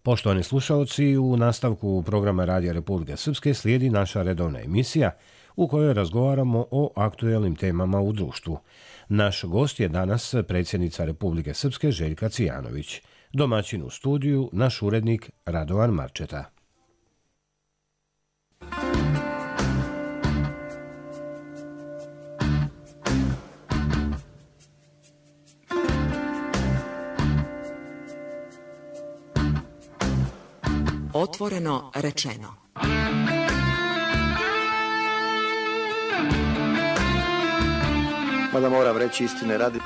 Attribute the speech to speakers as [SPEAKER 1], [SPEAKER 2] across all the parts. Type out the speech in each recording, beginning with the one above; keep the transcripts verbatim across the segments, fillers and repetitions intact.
[SPEAKER 1] Poštovani slušalci, u nastavku programa Radija Republike Srpske slijedi naša redovna emisija u kojoj razgovaramo o aktuelnim temama u društvu. Naš gost je danas predsjednica Republike Srpske Željka Cvijanović. Domaćin u studiju, naš urednik Radovan Marčeta.
[SPEAKER 2] Otvoreno rečeno.
[SPEAKER 3] Mada moram reći istine radi.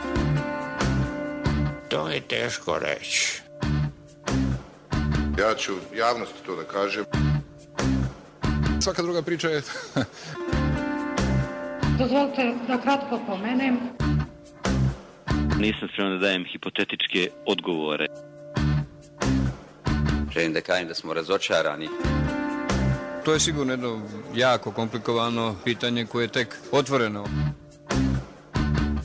[SPEAKER 4] To je teško reći.
[SPEAKER 5] Ja ću javnosti to da kažem.
[SPEAKER 6] Svaka druga priča je...
[SPEAKER 7] Dozvolite da kratko pomenem.
[SPEAKER 8] Nisam spreman da dajem hipotetičke odgovore.
[SPEAKER 9] Želim da kažem da smo razočarani.
[SPEAKER 6] To je sigurno jedno jako komplikovano pitanje koje je tek otvoreno.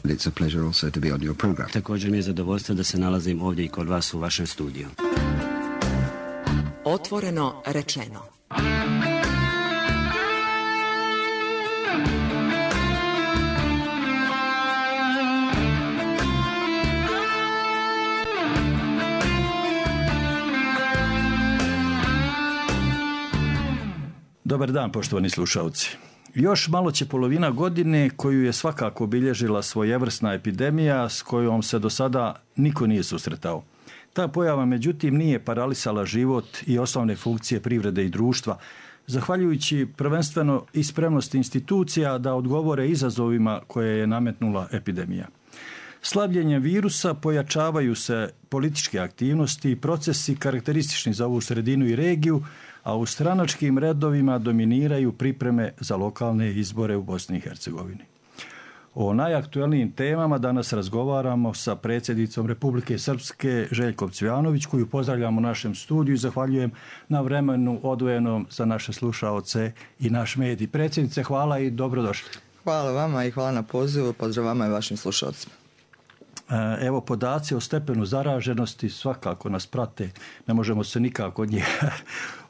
[SPEAKER 10] It's a pleasure also to be on your program.
[SPEAKER 11] Također mi je zadovoljstvo da se nalazim ovdje i kod vas u vašem studiju.
[SPEAKER 2] Otvoreno rečeno.
[SPEAKER 12] Dobar dan, poštovani slušalci. Još malo će polovina godine koju je svakako obilježila svojevrsna epidemija s kojom se do sada niko nije susretao. Ta pojava, međutim, nije paralisala život i osnovne funkcije privrede i društva, zahvaljujući prvenstveno i spremnosti institucija da odgovore izazovima koje je nametnula epidemija. Slabljenjem virusa pojačavaju se političke aktivnosti i procesi karakteristični za ovu sredinu i regiju, a u stranačkim redovima dominiraju pripreme za lokalne izbore u Bosni i Hercegovini. O najaktuelnijim temama danas razgovaramo sa predsjednicom Republike Srpske Željkom Cvijanović, koju pozdravljamo u našem studiju i zahvaljujem na vremenu odvojenom za naše slušaoce i naš medij. Predsjednice, hvala i dobrodošli.
[SPEAKER 13] Hvala vama i hvala na pozivu, pozdrav vama i vašim slušaocima.
[SPEAKER 12] Evo, podaci o stepenu zaraženosti svakako nas prate, ne možemo se nikako od njih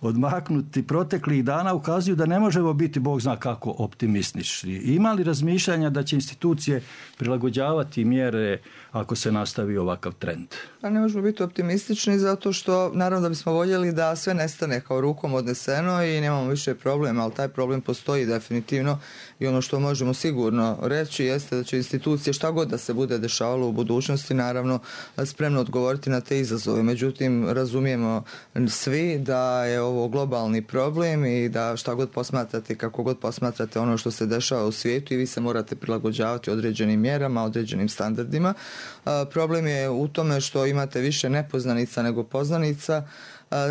[SPEAKER 12] odmaknuti. Proteklih dana ukazuju da ne možemo biti, Bog zna kako, optimistični. Ima li razmišljanja da će institucije prilagođavati mjere ako se nastavi ovakav trend?
[SPEAKER 13] Pa ne možemo biti optimistični zato što naravno da bismo voljeli da sve nestane kao rukom odneseno i nemamo više problema, ali taj problem postoji definitivno i ono što možemo sigurno reći jeste da će institucije šta god da se bude dešavalo u budućnosti naravno spremno odgovoriti na te izazove. Međutim, razumijemo svi da je ovo globalni problem i da šta god posmatrate, kako god posmatrate ono što se dešava u svijetu i vi se morate prilagođavati određenim mjerama, određenim standardima. Problem je u tome što imate više nepoznanica nego poznanica,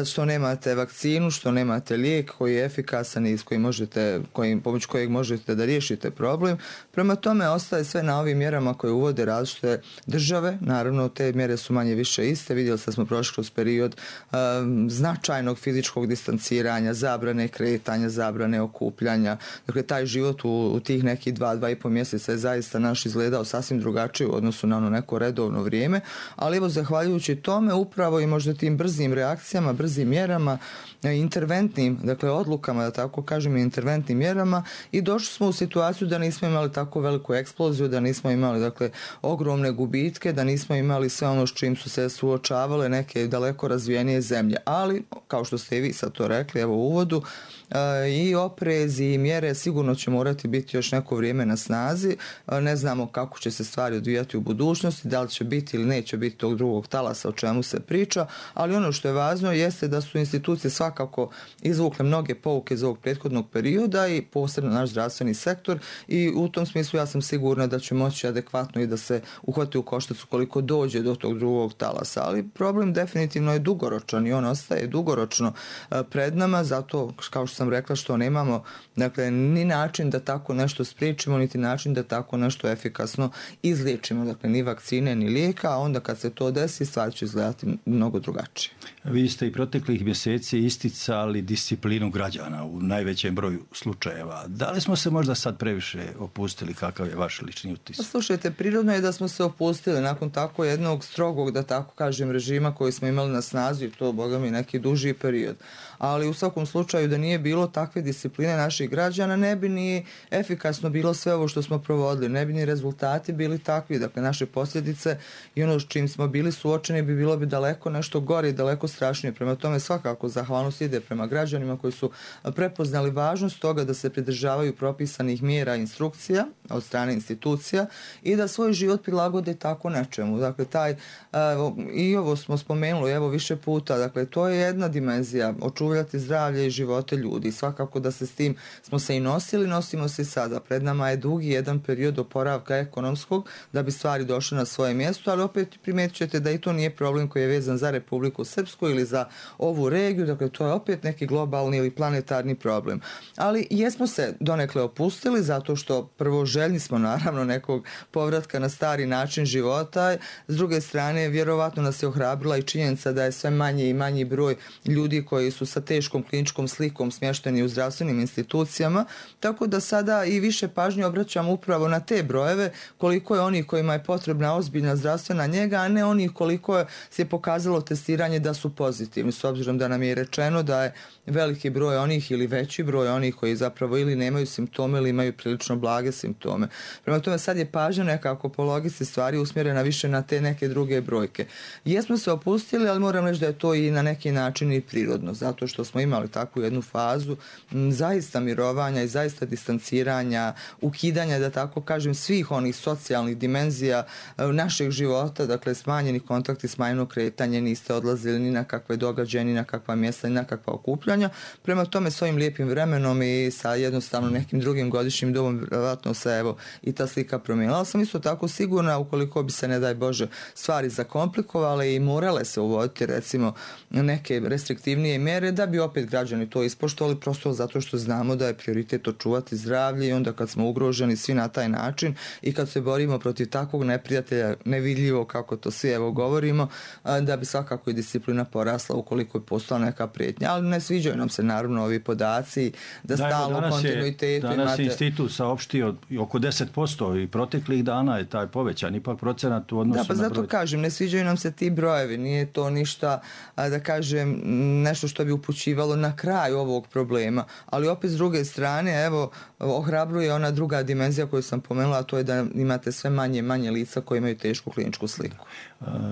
[SPEAKER 13] što nemate vakcinu, što nemate lijek koji je efikasan i s kojim možete, kojim, pomoć kojeg možete da riješite problem. Prema tome ostaje sve na ovim mjerama koje uvode različite države. Naravno, te mjere su manje više iste. Vidjeli ste smo prošli kroz period um, značajnog fizičkog distanciranja, zabrane kretanja, zabrane okupljanja. Dakle, taj život u, u tih nekih dva, dva i po mjeseca je zaista naš izgledao sasvim drugačije u odnosu na ono neko redovno vrijeme. Ali evo, zahvaljujući tome, upravo i možda tim brzim reakcijama, brzim mjerama, interventnim, dakle odlukama, da tako kažem, interventnim mjerama i došli smo u situaciju da nismo imali tako veliku eksploziju, da nismo imali dakle ogromne gubitke, da nismo imali sve ono s čim su se suočavale neke daleko razvijenije zemlje. Ali, kao što ste i vi sad to rekli, evo u uvodu, i oprezi i mjere sigurno će morati biti još neko vrijeme na snazi. Ne znamo kako će se stvari odvijati u budućnosti, da li će biti ili neće biti tog drugog talasa o čemu se priča, ali ono što je važno jeste da su institucije svakako izvukle mnoge pouke iz ovog prethodnog perioda i posebno naš zdravstveni sektor i u tom smislu ja sam sigurna da će moći adekvatno i da se uhvati u koštac koliko dođe do tog drugog talasa, ali problem definitivno je dugoročan i on ostaje dugoročno pred nama, zato kao što sam rekla što nemamo dakle ni način da tako nešto spriječimo, niti način da tako nešto efikasno izliječimo, dakle ni vakcine ni lijeka, a onda kad se to desi stvari će izgledati mnogo drugačije.
[SPEAKER 12] Vi ste i proteklih mjeseci isticali disciplinu građana u najvećem broju slučajeva. Da li smo se možda sad previše opustili, kakav je vaš lični utisak?
[SPEAKER 13] Slušajte, prirodno je da smo se opustili opustili nakon tako jednog strogog, da tako kažem, režima koji smo imali na snazi, to boga mi neki duži period. Ali u svakom slučaju da nije bilo takve discipline naših građana, ne bi ni efikasno bilo sve ovo što smo provodili, ne bi ni rezultati bili takvi. Dakle, naše posljedice i ono s čim smo bili suočeni bi bilo bi daleko nešto gore i daleko strašnije. Prema tome svakako zahvalnost ide prema građanima koji su prepoznali važnost toga da se pridržavaju propisanih mjera i instrukcija od strane institucija i da svoj život prilagode tako nečemu. Dakle, taj, evo, i ovo smo spomenuli evo više puta, dakle, to je jedna dimenzija, očuvati zdravlje i živote ljudi. Svakako da se s tim smo se i nosili, nosimo se i sada. Pred nama je dugi jedan period oporavka ekonomskog da bi stvari došle na svoje mjesto, ali opet primetit ćete da i to nije problem koji je vezan za Republiku Srpsku ili za ovu regiju, dakle to je opet neki globalni ili planetarni problem. Ali jesmo se donekle opustili zato što prvo željni smo naravno nekog povratka na stari način života, s druge strane vjerovatno nas je ohrabrila i činjenica da je sve manji i manji broj ljudi koji su sa teškom kliničkom slikom smješteni u zdravstvenim institucijama, tako da sada i više pažnje obraćamo upravo na te brojeve, koliko je onih kojima je potrebna ozbiljna zdravstvena njega, a ne onih koliko je se pokazalo testiranje da su pozitivni, s obzirom da nam je rečeno da je veliki broj onih ili veći broj onih koji zapravo ili nemaju simptome ili imaju prilično blage simptome. Prema tome sad je pažnja nekako po logici stvari usmjerena više na te neke druge brojke. Jesmo se opustili, ali moram reći da je to i na neki način i prirodno, zato što smo imali takvu jednu fazu m, zaista mirovanja i zaista distanciranja, ukidanja, da tako kažem, svih onih socijalnih dimenzija e, našeg života, dakle smanjeni kontakti, smanjeno kretanje, niste odlazili ni na kakve događaje, ni na kakva mjesta, ni na kakva okupljanja. Prema tome s ovim lijepim vremenom i sa jednostavno nekim drugim godišnjim dobom vjerojatno se evo i ta slika promijenila. Ali sam isto tako sigurna ukoliko bi se, ne daj Bože, stvari zakomplikovale i morale se uvoditi recimo neke restriktivnije mjere da bi opet građani to ispoštovali, prosto zato što znamo da je prioritet očuvati zdravlje i onda kad smo ugroženi svi na taj način i kad se borimo protiv takvog neprijatelja nevidljivo kako to svi evo govorimo, da bi svakako i disciplina porasla ukoliko je postala neka prijetnja. Ali ne sviđaju nam se naravno ovi podaci da stalno kontinuitetu
[SPEAKER 12] imate... Danas je institut saopštio oko deset posto i proteklih dana je taj povećan ipak procenat u odnosu na broj.
[SPEAKER 13] Da, pa zato kažem, ne sviđaju nam se ti brojevi, nije to ništa, da kažem, nešto što bi upućivalo na kraj ovog problema, ali opet s druge strane, evo, ohrabruje ona druga dimenzija koju sam pomenula, a to je da imate sve manje i manje lica koji imaju tešku kliničku sliku.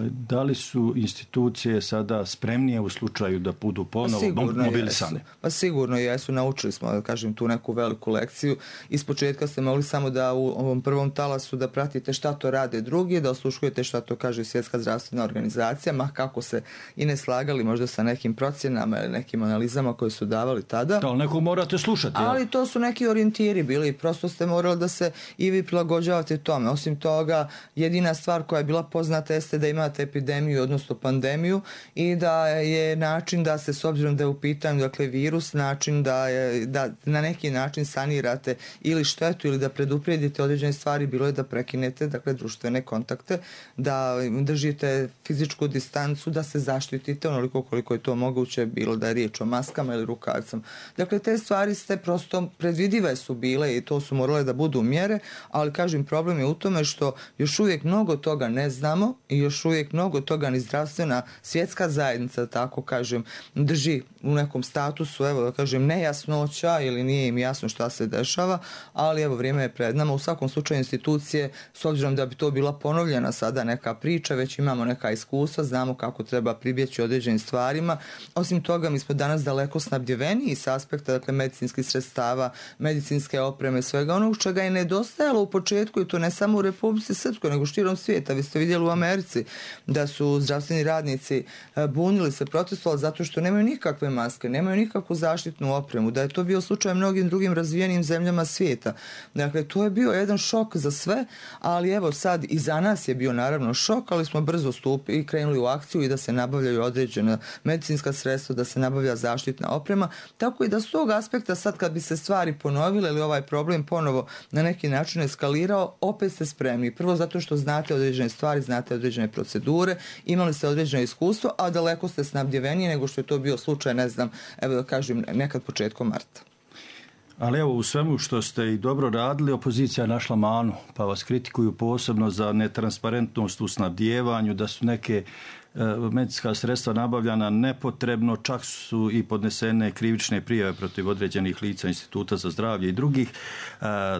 [SPEAKER 12] Da li su institucije sada spremnije u slučaju da budu ponovo mobilisane?
[SPEAKER 13] Pa sigurno jesu, naučili smo, da kažem, tu neku veliku lekciju. Ispočetka ste mogli samo da u ovom prvom talasu da pratite šta to rade drugi, da osluškujete šta to kaže Svjetska zdravstvena organizacija, ma kako se i ne slagali možda sa nekim procjenama ili nekim analizama koje su davali tada.
[SPEAKER 12] Da, ali nekog morate slušati. Ja?
[SPEAKER 13] Ali to su neki orijentiri bili i prosto ste morali da se i vi prilagođavate tome. Osim toga, jedina stvar koja je bila poznata jeste da imate epidemiju, odnosno pandemiju i da je način da se, s obzirom da je u pitanju dakle, virus, način da, je, da na neki način sanirate ili štetu ili da preduprijedite određene stvari, bilo je da prekinete dakle, društvene kontakte, da držite fizičku distancu, da se zaštitite onoliko koliko je to moguće, bilo da je riječ o maskama ili rukavicama. Dakle, te stvari ste prosto predvidive su bile i to su morale da budu mjere, ali kažem, problem je u tome što još uvijek mnogo toga ne znamo i još uvijek mnogo toga ni zdravstvena svjetska zajednica, tako kažem, drži u nekom statusu, evo da kažem, nejasnoća ili nije im jasno šta se dešava, ali evo vrijeme je pred nama. U svakom slučaju institucije, s obzirom da bi to bila ponovljena sada neka priča, već imamo neka iskustva, znamo kako treba pribjeći određenim stvarima. Osim toga, mi smo danas daleko snabdjeveniji s aspekta dakle, medicinskih sredstava, medicinske opreme, svega onog čega je nedostajalo u početku i to ne samo u Republici Srpskoj, nego širom svijeta. Vi ste vidjeli u Americi da su zdravstveni radnici bunili se, protestovali zato što nemaju nikakve maske, nemaju nikakvu zaštitnu opremu, da je to bio slučaj mnogim drugim razvijenim zemljama svijeta. Dakle, to je bio jedan šok za sve, ali evo sad i za nas je bio naravno šok, ali smo brzo stupili i krenuli u akciju i da se nabavljaju određena medicinska sredstva, da se nabavlja zaštitna oprema, tako i da s tog aspekta sad kad bi se stvari ponovile ili ovaj problem ponovo na neki način eskalirao, opet ste spremni. Prvo zato što znate određene stvari, znate određene procedure, imali ste određeno iskustvo, a daleko ste snabdjeveniji nego što je to bio slučaj, ne znam, evo da kažem, nekad početkom marta.
[SPEAKER 12] Ali evo, u svemu što ste i dobro radili, opozicija je našla manu, pa vas kritikuju posebno za netransparentnost u snabdijevanju, da su neke medicinska sredstva nabavljana nepotrebno, čak su i podnesene krivične prijave protiv određenih lica Instituta za zdravlje i drugih.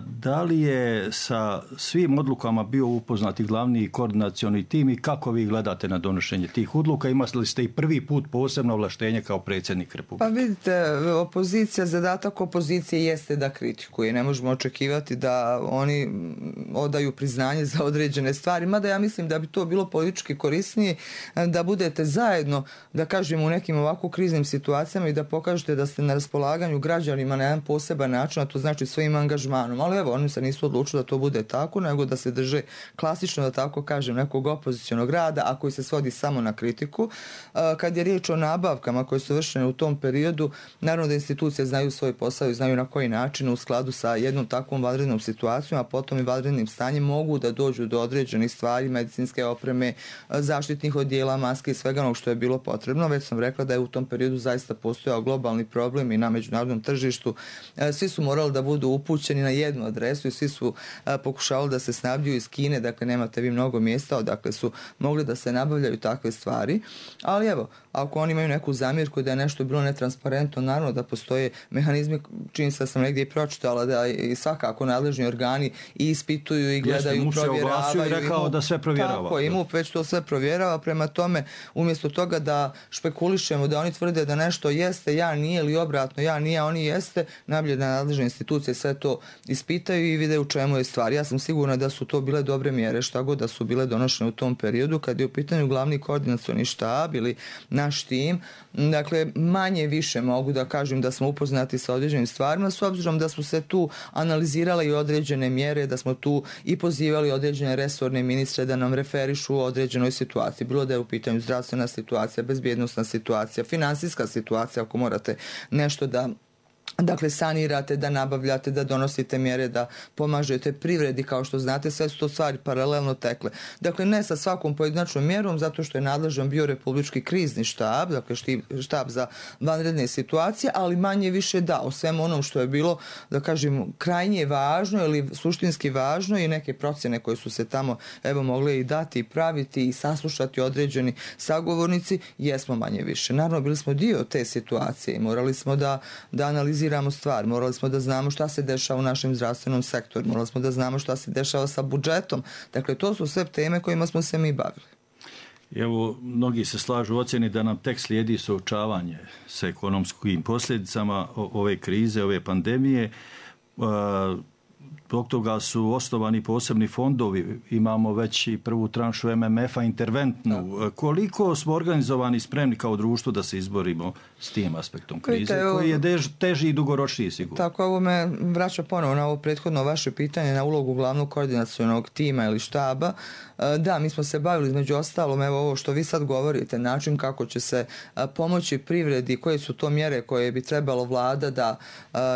[SPEAKER 12] Da li je sa svim odlukama bio upoznati glavni koordinacioni tim i kako vi gledate na donošenje tih odluka? Imali ste i prvi put posebno ovlaštenje kao predsjednik Republike?
[SPEAKER 13] Pa vidite, opozicija, zadatak opozicije jeste da kritikuje. Ne možemo očekivati da oni odaju priznanje za određene stvari, mada ja mislim da bi to bilo politički korisnije da budete zajedno, da kažem, u nekim ovako kriznim situacijama i da pokažete da ste na raspolaganju građanima na jedan poseban način, a to znači svojim angažmanom. Ali evo, oni se nisu odlučili da to bude tako, nego da se drže klasično, da tako kažem, nekog opozicionog rada, a koji se svodi samo na kritiku. Kad je riječ o nabavkama koje su vršene u tom periodu, naravno da institucije znaju svoj posao i znaju na koji način u skladu sa jednom takvom vanrednom situacijom, a potom i vanrednim stanjem mogu da dođu do određenih stvari, medicinske opreme, zaštitnih odjela, maske i svega onog što je bilo potrebno. Već sam rekla da je u tom periodu zaista postojao globalni problem i na međunarodnom tržištu. Svi su morali da budu upućeni na jednu adresu i svi su pokušavali da se snabdjuju iz Kine, dakle nemate vi mnogo mjesta, odakle su mogli da se nabavljaju takve stvari. Ali evo, ako oni imaju neku zamjerku da je nešto bilo netransparentno, naravno da postoje mehanizmi, čini se da sam negdje i pročitala, da i svakako nadležni organi i ispituju i gledaju,
[SPEAKER 12] Jeste,
[SPEAKER 13] provjeravaju.
[SPEAKER 12] I rekao da sve provjerava.
[SPEAKER 13] Tako, i MUP već to sve provjerava, prema tome, umjesto toga da špekulišemo, da oni tvrde da nešto jeste, ja nije, ili obratno, ja nije, oni jeste, najbolje da nadležne institucije sve to ispitaju i vide u čemu je stvar. Ja sam sigurna da su to bile dobre mjere, šta god da su bile donošene u tom periodu, kad je u pitanju glavni koordinacioni štab ili naš tim. Dakle, manje više mogu da kažem da smo upoznati sa određenim stvarima, s obzirom da smo se tu analizirali i određene mjere, da smo tu i pozivali određene resorne ministre da nam referišu o određenoj situaciji. Bilo da je u pitanju zdravstvena situacija, bezbjednosna situacija, finansijska situacija, ako morate nešto da dakle sanirate, da nabavljate, da donosite mjere, da pomažete privredi, kao što znate, sve su to stvari paralelno tekle. Dakle, ne sa svakom pojedinačnom mjerom, zato što je nadležan bio Republički krizni štab, dakle štab za vanredne situacije, ali manje više da, o svemu onom što je bilo, da kažem, krajnje važno ili suštinski važno i neke procjene koje su se tamo evo mogle i dati i praviti i saslušati određeni sagovornici, jesmo manje više. Naravno, bili smo dio te situacije i morali smo da, da analiziramo stvar, morali smo da znamo šta se dešava u našem zdravstvenom sektoru, morali smo da znamo šta se dešava sa budžetom. Dakle, to su sve teme kojima smo se mi bavili.
[SPEAKER 12] Evo, mnogi se slažu u ocjeni da nam tek slijedi suočavanje sa ekonomskim posljedicama ove krize, ove pandemije. Zbog toga su osnovani posebni fondovi, imamo već i prvu tranšu M M F-a interventnu. Da. Koliko smo organizovani, spremni kao društvo da se izborimo s tim aspektom krize, Vidite, koji je dež, teži i dugoročniji sigurno?
[SPEAKER 13] Tako, ovo me vraća ponovo na ovo prethodno vaše pitanje, na ulogu glavnog koordinacionog tima ili štaba. Da, mi smo se bavili između ostalom, evo ovo što vi sad govorite, način kako će se pomoći privredi, koje su to mjere koje bi trebalo vlada da,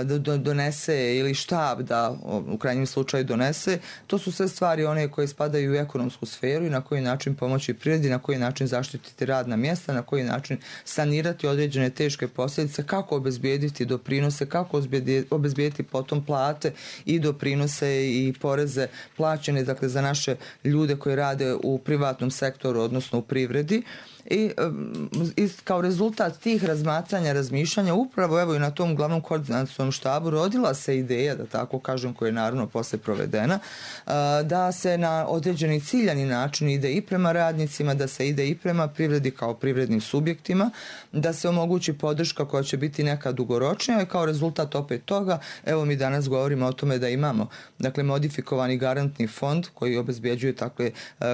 [SPEAKER 13] da donese ili štab da u krajnjem slučaju donese. To su sve stvari one koje spadaju u ekonomsku sferu i na koji način pomoći privredi, na koji način zaštititi radna mjesta, na koji način sanirati određene teške posljedice, kako obezbijediti doprinose, kako obezbijediti potom plate i doprinose i poreze plaćene, dakle, za naše ljude koji rade u privatnom sektoru, odnosno u privredi. I, i kao rezultat tih razmatranja, razmišljanja, upravo evo i na tom glavnom koordinacionom štabu rodila se ideja, da tako kažem, koja je naravno posle provedena, da se na određeni ciljani način ide i prema radnicima, da se ide i prema privredi kao privrednim subjektima, da se omogući podrška koja će biti neka dugoročnija i kao rezultat opet toga, evo mi danas govorimo o tome da imamo, dakle, modifikovani garantni fond koji obezbjeđuje takve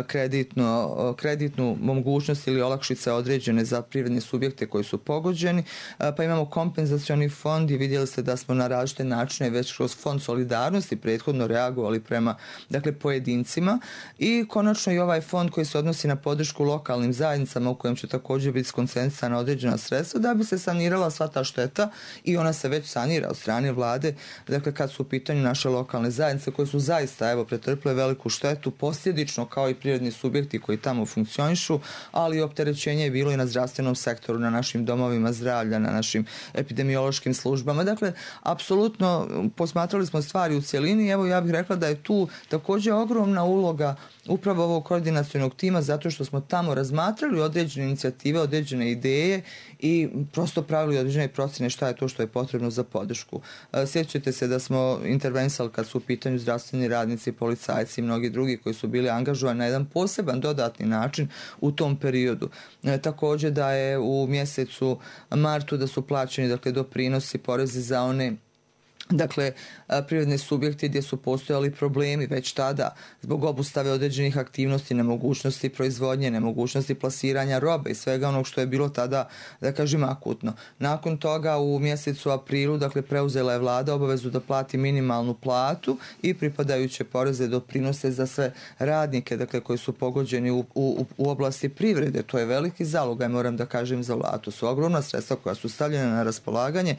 [SPEAKER 13] kreditno, kreditnu mogućnost ili olakšice određene za privredne subjekte koji su pogođeni, pa imamo kompenzacioni fond i vidjeli ste da smo na različite načine već kroz fond solidarnosti prethodno reagovali prema, dakle, pojedincima i konačno i ovaj fond koji se odnosi na podršku lokalnim zajednicama u kojem će također biti skoncentrisana određena sredstva da bi se sanirala sva ta šteta i ona se već sanira od strane vlade, dakle, kad su u pitanju naše lokalne zajednice koje su zaista evo pretrpile veliku štetu posljedično kao i privredni subjekti koji tamo funkcionišu, ali i opterećenje opterećenje je bilo i na zdravstvenom sektoru, na našim domovima zdravlja, na našim epidemiološkim službama. Dakle, apsolutno posmatrali smo stvari u cjelini. Evo, ja bih rekla da je tu također ogromna uloga upravo ovog koordinacionog tima, zato što smo tamo razmatrali određene inicijative, određene ideje i prosto pravili određene procjene šta je to što je potrebno za podršku. Sjećate se da smo intervenisali kad su u pitanju zdravstveni radnici, policajci i mnogi drugi koji su bili angažovani na jedan poseban dodatni način u tom periodu. E, također da je u mjesecu martu da su plaćeni, dakle, doprinosi, porezi za one, dakle, privredne subjekti gdje su postojali problemi već tada zbog obustave određenih aktivnosti, nemogućnosti proizvodnje, nemogućnosti plasiranja robe i svega onog što je bilo tada, da kažem, akutno. Nakon toga u mjesecu aprilu, dakle, preuzela je vlada obavezu da plati minimalnu platu i pripadajuće poreze, doprinose za sve radnike, dakle, koji su pogođeni u, u, u oblasti privrede. To je veliki zalogaj, moram da kažem, za vladu. To su ogromna sredstva koja su stavljena na raspolaganje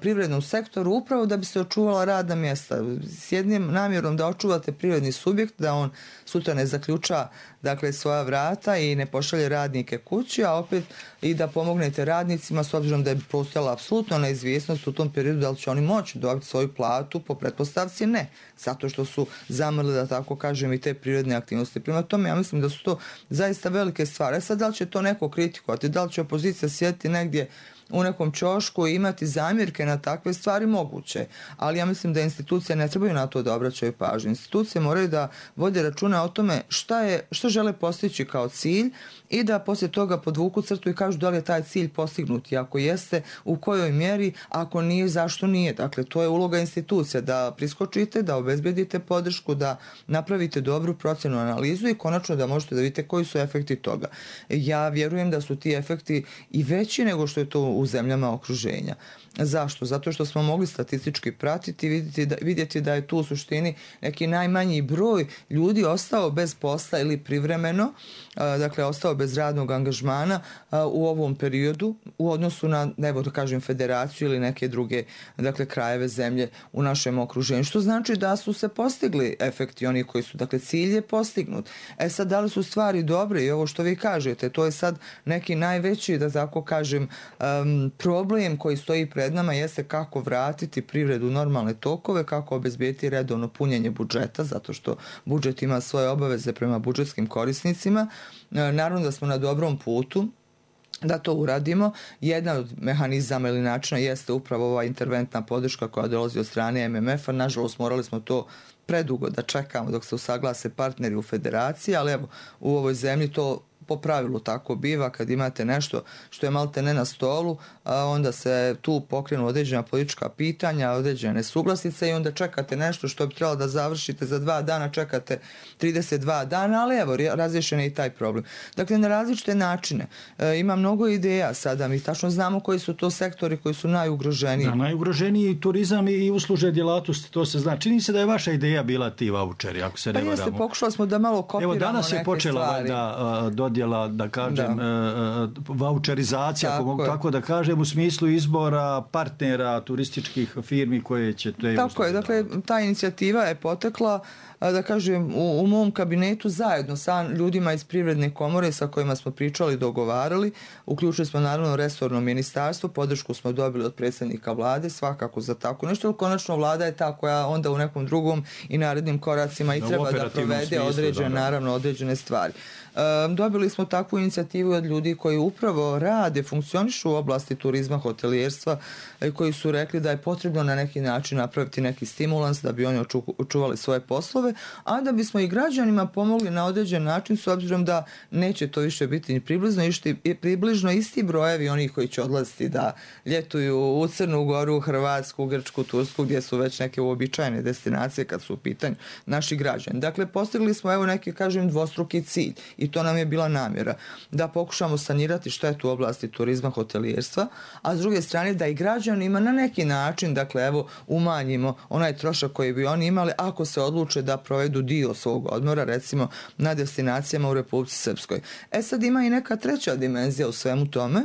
[SPEAKER 13] privrednom sektoru upravo da bi se očuvala radna mjesta. S jednim namjerom da očuvate privredni subjekt, da on sutra ne zaključa, dakle, svoja vrata i ne pošalje radnike kući, a opet i da pomognete radnicima s obzirom da je postojala apsolutno neizvjesnost u tom periodu da li će oni moći dobiti svoju platu, po pretpostavci ne, zato što su zamrli, da tako kažem, i te privredne aktivnosti. Prema tome, ja mislim da su to zaista velike stvari. Sad, da li će to neko kritikovati, da li će opozicija sjediti negdje u nekom ćošku i imati zamjerke na takve stvari, moguće. Ali ja mislim da institucije ne trebaju na to da obraćaju pažnju. Institucije moraju da vode računa o tome šta je, šta žele postići kao cilj i da poslije toga podvuku crtu i kažu da li je taj cilj postignut i ako jeste, u kojoj mjeri, ako nije, zašto nije. Dakle, to je uloga institucija, da priskočite, da obezbedite podršku, da napravite dobru procjenu, analizu i konačno da možete da vidite koji su efekti toga. Ja vjerujem da su ti efekti i veći nego što je to u zemljama okruženja. Zašto? Zato što smo mogli statistički pratiti i vidjeti da, vidjeti da je tu u suštini neki najmanji broj ljudi ostao bez posla ili privremeno, dakle ostao bez radnog angažmana u ovom periodu u odnosu na, evo da kažem, federaciju ili neke druge, dakle, krajeve zemlje u našem okruženju. Što znači da su se postigli efekti oni koji su, dakle, cilj je postignut. E sad, da li su stvari dobre i ovo što vi kažete, to je sad neki najveći, da tako kažem, um, problem koji stoji pred nama jeste kako vratiti privredu u normalne tokove, kako obezbijeti redovno punjenje budžeta, zato što budžet ima svoje obaveze prema budžetskim korisnicima. Naravno da smo na dobrom putu da to uradimo. Jedna od mehanizama ili načina jeste upravo ova interventna podrška koja dolazi od strane M M F-a. Nažalost, morali smo to predugo da čekamo dok se usaglase partneri u federaciji, ali evo, u ovoj zemlji to po pravilu tako biva, kad imate nešto što je malte ne na stolu, a onda se tu pokrenu određena politička pitanja, određene nesuglasice i onda čekate nešto što bi trebalo da završite za dva dana, čekate trideset dva dana, ali evo, razriješen je i taj problem. Dakle, na različite načine. E, ima mnogo ideja sada, mi tačno znamo koji su to sektori koji su najugroženiji.
[SPEAKER 12] Da, najugroženiji i turizam i uslužne djelatnosti, to se zna. Čini se da je vaša ideja bila ti vaučeri, ako se ne varamo.
[SPEAKER 13] Pa jeste, pokušali smo da malo kopiramo neke stvari.
[SPEAKER 12] Evo, danas je počela da dodjela, da kažem, da. vaučerizacija, ako mogu tako da kažem, u smislu izbora partnera turističkih firmi koje će te
[SPEAKER 13] tako je, dakle, ta inicijativa je potekla, da kažem, u, u mom kabinetu zajedno sa ljudima iz Privredne komore sa kojima smo pričali, dogovarali. Uključili smo naravno resorno ministarstvo, podršku smo dobili od predsjednika vlade, svakako za tako nešto, ali konačno vlada je ta koja onda u nekom drugom i narednim koracima i treba da provede smislu, određene, da, naravno, određene stvari. Um, dobili smo takvu inicijativu od ljudi koji upravo rade, funkcionišu u oblasti turizma, hotelijerstva, koji su rekli da je potrebno na neki način napraviti neki stimulans da bi oni oču, očuvali svoje poslove, a da bismo i građanima pomogli na određen način, s obzirom da neće to više biti ni približno, isti, približno isti brojevi onih koji će odlaziti da ljetuju u Crnu Goru, Hrvatsku, Grčku, Tursku, gdje su već neke uobičajene destinacije kad su u pitanju naši građani. Dakle, postigli smo, evo, neki, kažem, dvostruki cilj i to nam je bila namjera da pokušamo sanirati štetu u oblasti turizma, hotelijerstva, a s druge strane da i građanima na neki način, dakle, evo, umanjimo onaj trošak koji bi oni imali ako se odluče da provedu dio svog odmora, recimo, na destinacijama u Republici Srpskoj. E sad ima i neka treća dimenzija u svemu tome,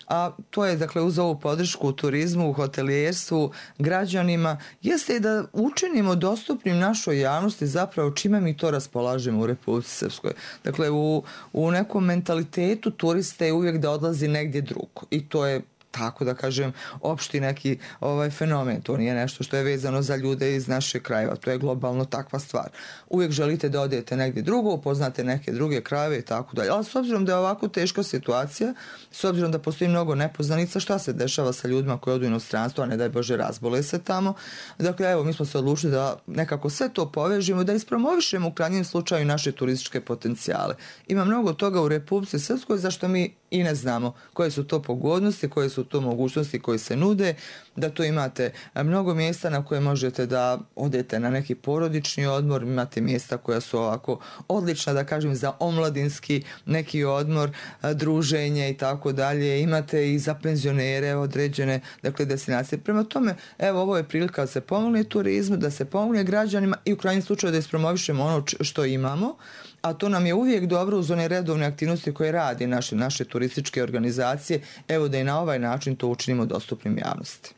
[SPEAKER 13] a to je dakle uz ovu podršku u turizmu, u hotelijerstvu, građanima, jeste i da učinimo dostupnim našoj javnosti zapravo čime mi to raspolažemo u Republici Srpskoj. Dakle, u, u nekom mentalitetu turiste je uvijek da odlazi negdje drugo i to je tako da kažem, opšti neki ovaj fenomen. To nije nešto što je vezano za ljude iz našeg krajeva. To je globalno takva stvar. Uvijek želite da odete negdje drugo, upoznate neke druge krajeve i tako dalje. Ali s obzirom da je ovako teška situacija, s obzirom da postoji mnogo nepoznanica, šta se dešava sa ljudima koji odu u inostranstvo, a ne daj Bože razbole se tamo. Dakle, evo, mi smo se odlučili da nekako sve to povežemo, da ispromovišemo u krajnjem slučaju naše turističke potencijale. Ima mnogo toga u Republici Srpskoj zašto mi i ne znamo koje su to pogodnosti, koje su to mogućnosti koje se nude, da tu imate mnogo mjesta na koje možete da odete na neki porodični odmor, imate mjesta koja su ovako odlična, da kažem, za omladinski neki odmor, druženje i tako dalje, imate i za penzionere određene, dakle, destinacije. Prema tome, evo, ovo je prilika da se pomogne turizmu, da se pomogne građanima i u krajnjem slučaju da ispromovišemo ono što imamo, a to nam je uvijek dobro uz one redovne aktivnosti koje radi naše, naše turističke organizacije, evo da i na ovaj način to učinimo dostupnim javnosti.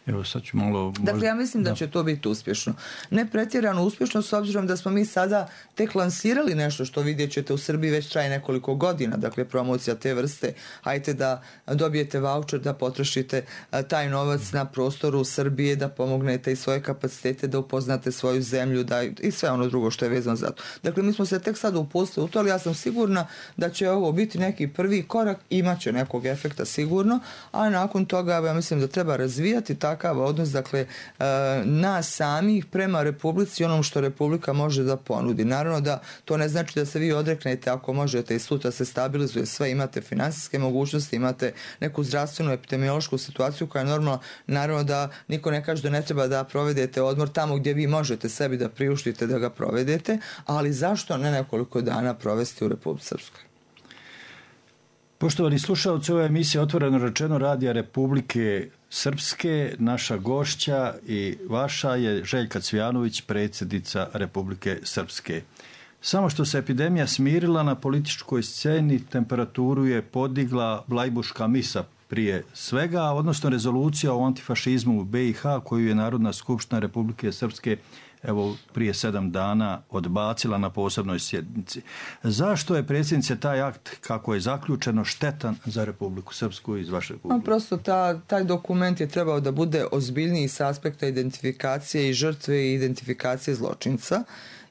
[SPEAKER 12] Evo sad ću malo... Možda...
[SPEAKER 13] Dakle, ja mislim da će to biti uspješno. Ne pretjerano uspješno, s obzirom da smo mi sada tek lansirali nešto što vidjet ćete u Srbiji već traje nekoliko godina, dakle promocija te vrste. Hajte da dobijete vaučer, da potrošite taj novac na prostoru Srbije, da pomognete i svoje kapacitete, da upoznate svoju zemlju da, i sve ono drugo što je vezano za to. Dakle, mi smo se tek sada upustili u to, ali ja sam sigurna da će ovo biti neki prvi korak, imat će nekog efekta sigurno, a nakon toga ja mislim da treba razvijati tako takav odnos, dakle, nas samih prema Republici i onom što Republika može da ponudi. Naravno da to ne znači da se vi odreknete ako možete i sutra se stabilizuje sve, imate finansijske mogućnosti, imate neku zdravstvenu epidemiološku situaciju koja je normalna. Naravno da niko ne kaže da ne treba da provedete odmor tamo gdje vi možete sebi da priuštite da ga provedete, ali zašto ne nekoliko dana provesti u Republici Srpskoj?
[SPEAKER 12] Poštovani slušalci, ova emisija Otvoreno rečeno Radija Republike Srpske, naša gošća i vaša je Željka Cvijanović, predsjednica Republike Srpske. Samo što se epidemija smirila na političkoj sceni, temperaturu je podigla Blajbuška misa prije svega, odnosno rezolucija o antifašizmu u B i H koju je Narodna skupština Republike Srpske evo prije sedam dana odbacila na posebnoj sjednici. Zašto je, predsjednice, taj akt, kako je zaključeno, štetan za Republiku Srpsku iz vašeg ugla?
[SPEAKER 13] No, prosto ta, taj dokument je trebao da bude ozbiljniji s aspekta identifikacije i žrtve i identifikacije zločinca.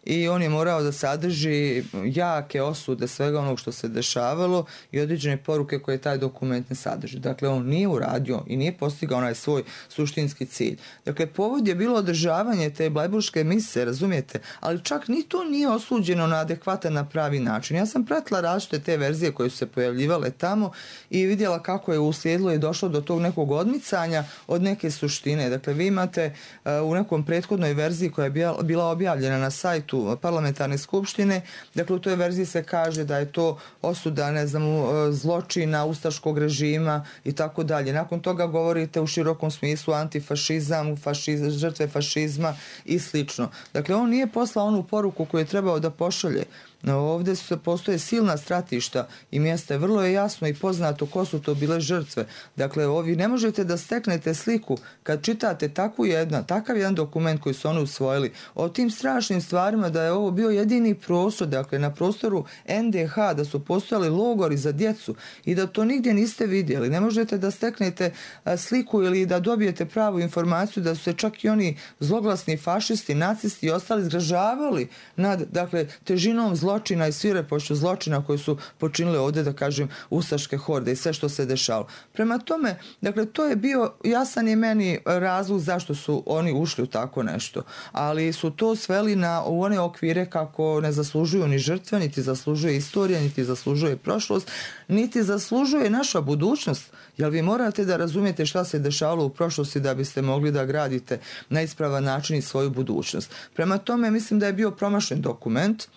[SPEAKER 13] I on je morao da sadrži jake osude svega onog što se dešavalo i određene poruke koje taj dokument ne sadrži. Dakle, on nije uradio i nije postigao onaj svoj suštinski cilj. Dakle, povod je bilo održavanje te blajburške mise, razumijete, ali čak ni to nije osuđeno na adekvatan, na pravi način. Ja sam pratila različite te verzije koje su se pojavljivale tamo i vidjela kako je uslijedilo i došlo do tog nekog odmicanja od neke suštine. Dakle, vi imate uh, u nekom prethodnoj verziji koja je bila objavljena na sajtu parlamentarne skupštine, dakle u toj verziji se kaže da je to osuda, ne znam, zločina ustaškog režima i tako dalje. Nakon toga govorite u širokom smislu antifašizam, fašizam, žrtve fašizma i slično. Dakle, on nije poslao onu poruku koju je trebao da pošalje. No, ovdje su, postoje silna stratišta i mjesta. Vrlo je jasno i poznato ko su to bile žrtve. Dakle, ovi ne možete da steknete sliku kad čitate takvu jedna, takav jedan dokument koji su oni usvojili o tim strašnim stvarima, da je ovo bio jedini prostor, dakle na prostoru N D H, da su postojali logori za djecu i da to nigdje niste vidjeli. Ne možete da steknete sliku ili da dobijete pravu informaciju da su se čak i oni zloglasni fašisti, nacisti i ostali zgražavali nad, dakle, težinom zločina zločina i svirepošću zločina koji su počinili ovdje, da kažem, ustaške horde i sve što se dešavalo. Prema tome, dakle, to je bio, jasan je meni razlog zašto su oni ušli u tako nešto, ali su to sveli na u one okvire kako ne zaslužuju ni žrtve, niti zaslužuje istorija, niti zaslužuje prošlost, niti zaslužuje naša budućnost. Jer vi morate da razumijete šta se dešavalo u prošlosti da biste mogli da gradite na ispravan način i svoju budućnost. Prema tome, mislim da je bio promašen dokument,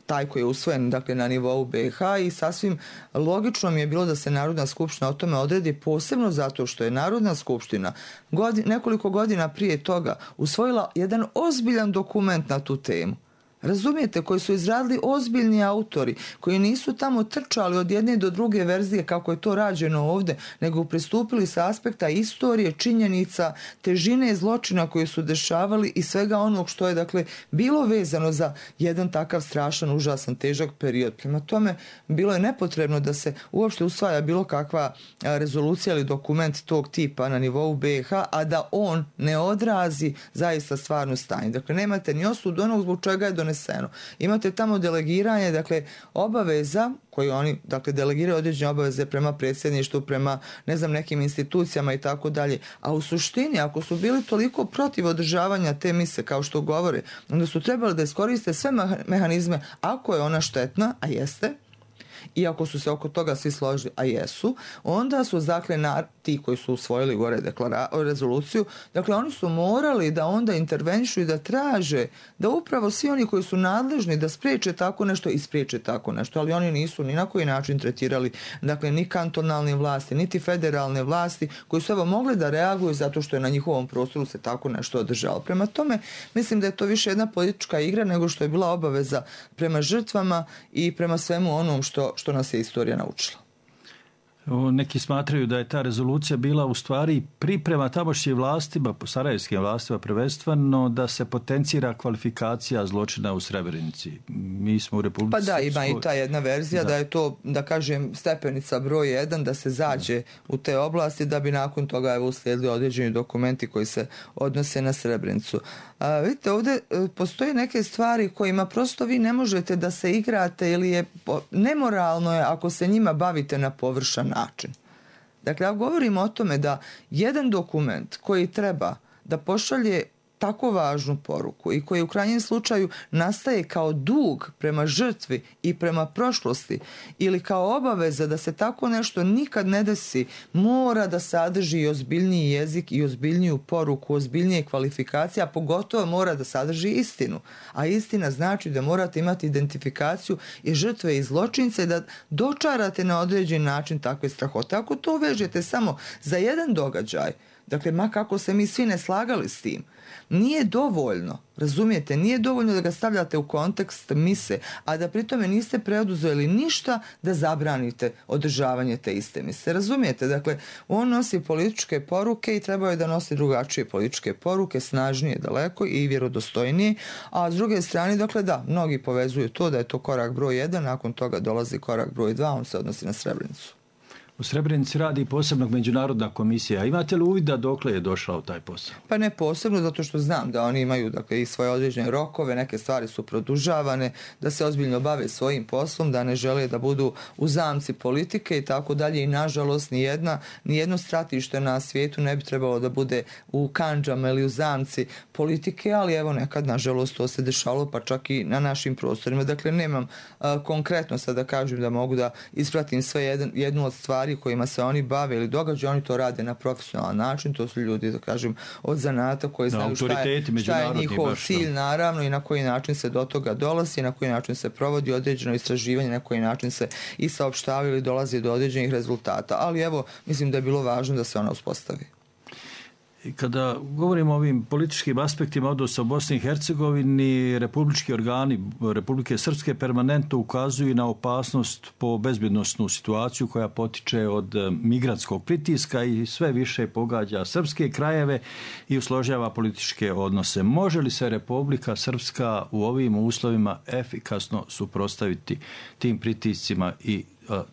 [SPEAKER 13] taj koji je usvojen, dakle, na nivou B i H, i sasvim logično mi je bilo da se Narodna skupština o tome odredi, posebno zato što je Narodna skupština godin, nekoliko godina prije toga usvojila jedan ozbiljan dokument na tu temu. Razumijete, koji su izradili ozbiljni autori, koji nisu tamo trčali od jedne do druge verzije kako je to rađeno ovdje, nego pristupili sa aspekta istorije, činjenica, težine zločina koji su dešavali i svega onog što je dakle bilo vezano za jedan takav strašan, užasan, težak period. Prema tome, bilo je nepotrebno da se uopšte usvaja bilo kakva rezolucija ili dokument tog tipa na nivou B i H, a da on ne odrazi zaista stvarno stanje. Dakle, nemate ni osud onog zbog čega je doneseno. Imate tamo delegiranje, dakle, obaveza koje oni, dakle, delegiraju određene obaveze prema predsjedništvu, prema, ne znam, nekim institucijama i tako dalje. A u suštini, ako su bili toliko protiv održavanja te mise, kao što govore, onda su trebali da iskoriste sve mehanizme, ako je ona štetna, a jeste, i ako su se oko toga svi složili, a jesu, onda su dakle na, ti koji su usvojili gore deklara, rezoluciju, dakle oni su morali da onda intervenišu i da traže da upravo svi oni koji su nadležni da spriječe tako nešto i spriječe tako nešto, ali oni nisu ni na koji način tretirali, dakle ni kantonalne vlasti, niti federalne vlasti koji su evo mogli da reaguju zato što je na njihovom prostoru se tako nešto održalo. Prema tome, mislim da je to više jedna politička igra nego što je bila obaveza prema žrtvama i prema svemu onom što što nas je istorija naučila.
[SPEAKER 12] Neki smatraju da je ta rezolucija bila u stvari priprema tamošnjim vlastima, sarajevskim vlastima prvenstveno, da se potencira kvalifikacija zločina u Srebrenici. Mi smo u Republici
[SPEAKER 13] Pa da, ima
[SPEAKER 12] Srpskoj...
[SPEAKER 13] i ta jedna verzija da. da je to, da kažem, stepenica broj jedan, da se zađe u te oblasti, da bi nakon toga evo uslijedili određeni dokumenti koji se odnose na Srebrenicu. A, vidite, ovdje postoje neke stvari kojima prosto vi ne možete da se igrate ili je nemoralno je ako se njima bavite na površan način. Dakle, ja govorim o tome da jedan dokument koji treba da pošalje tako važnu poruku i koji u krajnjem slučaju nastaje kao dug prema žrtvi i prema prošlosti ili kao obaveza da se tako nešto nikad ne desi, mora da sadrži i ozbiljniji jezik i ozbiljniju poruku, ozbiljnije kvalifikacije, a pogotovo mora da sadrži istinu. A istina znači da morate imati identifikaciju i žrtve i zločince, da dočarate na određen način takve strahote. Ako to vežete samo za jedan događaj, dakle, ma kako se mi svi ne slagali s tim, nije dovoljno, razumijete, nije dovoljno da ga stavljate u kontekst mise, a da pritome niste preoduzeli ništa da zabranite održavanje te iste mise. Razumijete, dakle, on nosi političke poruke i trebao je da nosi drugačije političke poruke, snažnije daleko i vjerodostojnije, a s druge strane, dakle, da, mnogi povezuju to da je to korak broj jedan, nakon toga dolazi korak broj dva, on se odnosi na Srebrenicu.
[SPEAKER 12] U Srebrenici radi posebnog međunarodna komisija. Imate li uvida dokle je došao taj posao?
[SPEAKER 13] Pa ne posebno, zato što znam da oni imaju dakle, i svoje određene rokove, neke stvari su produžavane, da se ozbiljno bave svojim poslom, da ne žele da budu u zamci politike i tako dalje. I nažalost nijedna, nijedno stratište na svijetu ne bi trebalo da bude u kandžama ili u zamci politike, ali evo nekad nažalost to se dešalo pa čak i na našim prostorima. Dakle, nemam a, konkretno sad da kažem da mogu da ispratim sve jedan, jednu od stvari kojima se oni bave ili događaju, oni to rade na profesionalan način, to su ljudi, da kažem, od zanata koji znaju šta je, šta je njihov cilj, naravno, i na koji način se do toga dolazi, na koji način se provodi određeno istraživanje, na koji način se i saopštavaju ili dolazi do određenih rezultata. Ali evo, mislim da je bilo važno da se ona uspostavi.
[SPEAKER 12] Kada govorimo o ovim političkim aspektima odnosa u Bosni i Hercegovini, republički organi Republike Srpske permanentno ukazuju na opasnost po bezbjednosnu situaciju koja potiče od migrantskog pritiska i sve više pogađa srpske krajeve i usložava političke odnose. Može li se Republika Srpska u ovim uslovima efikasno suprotstaviti tim pritiscima i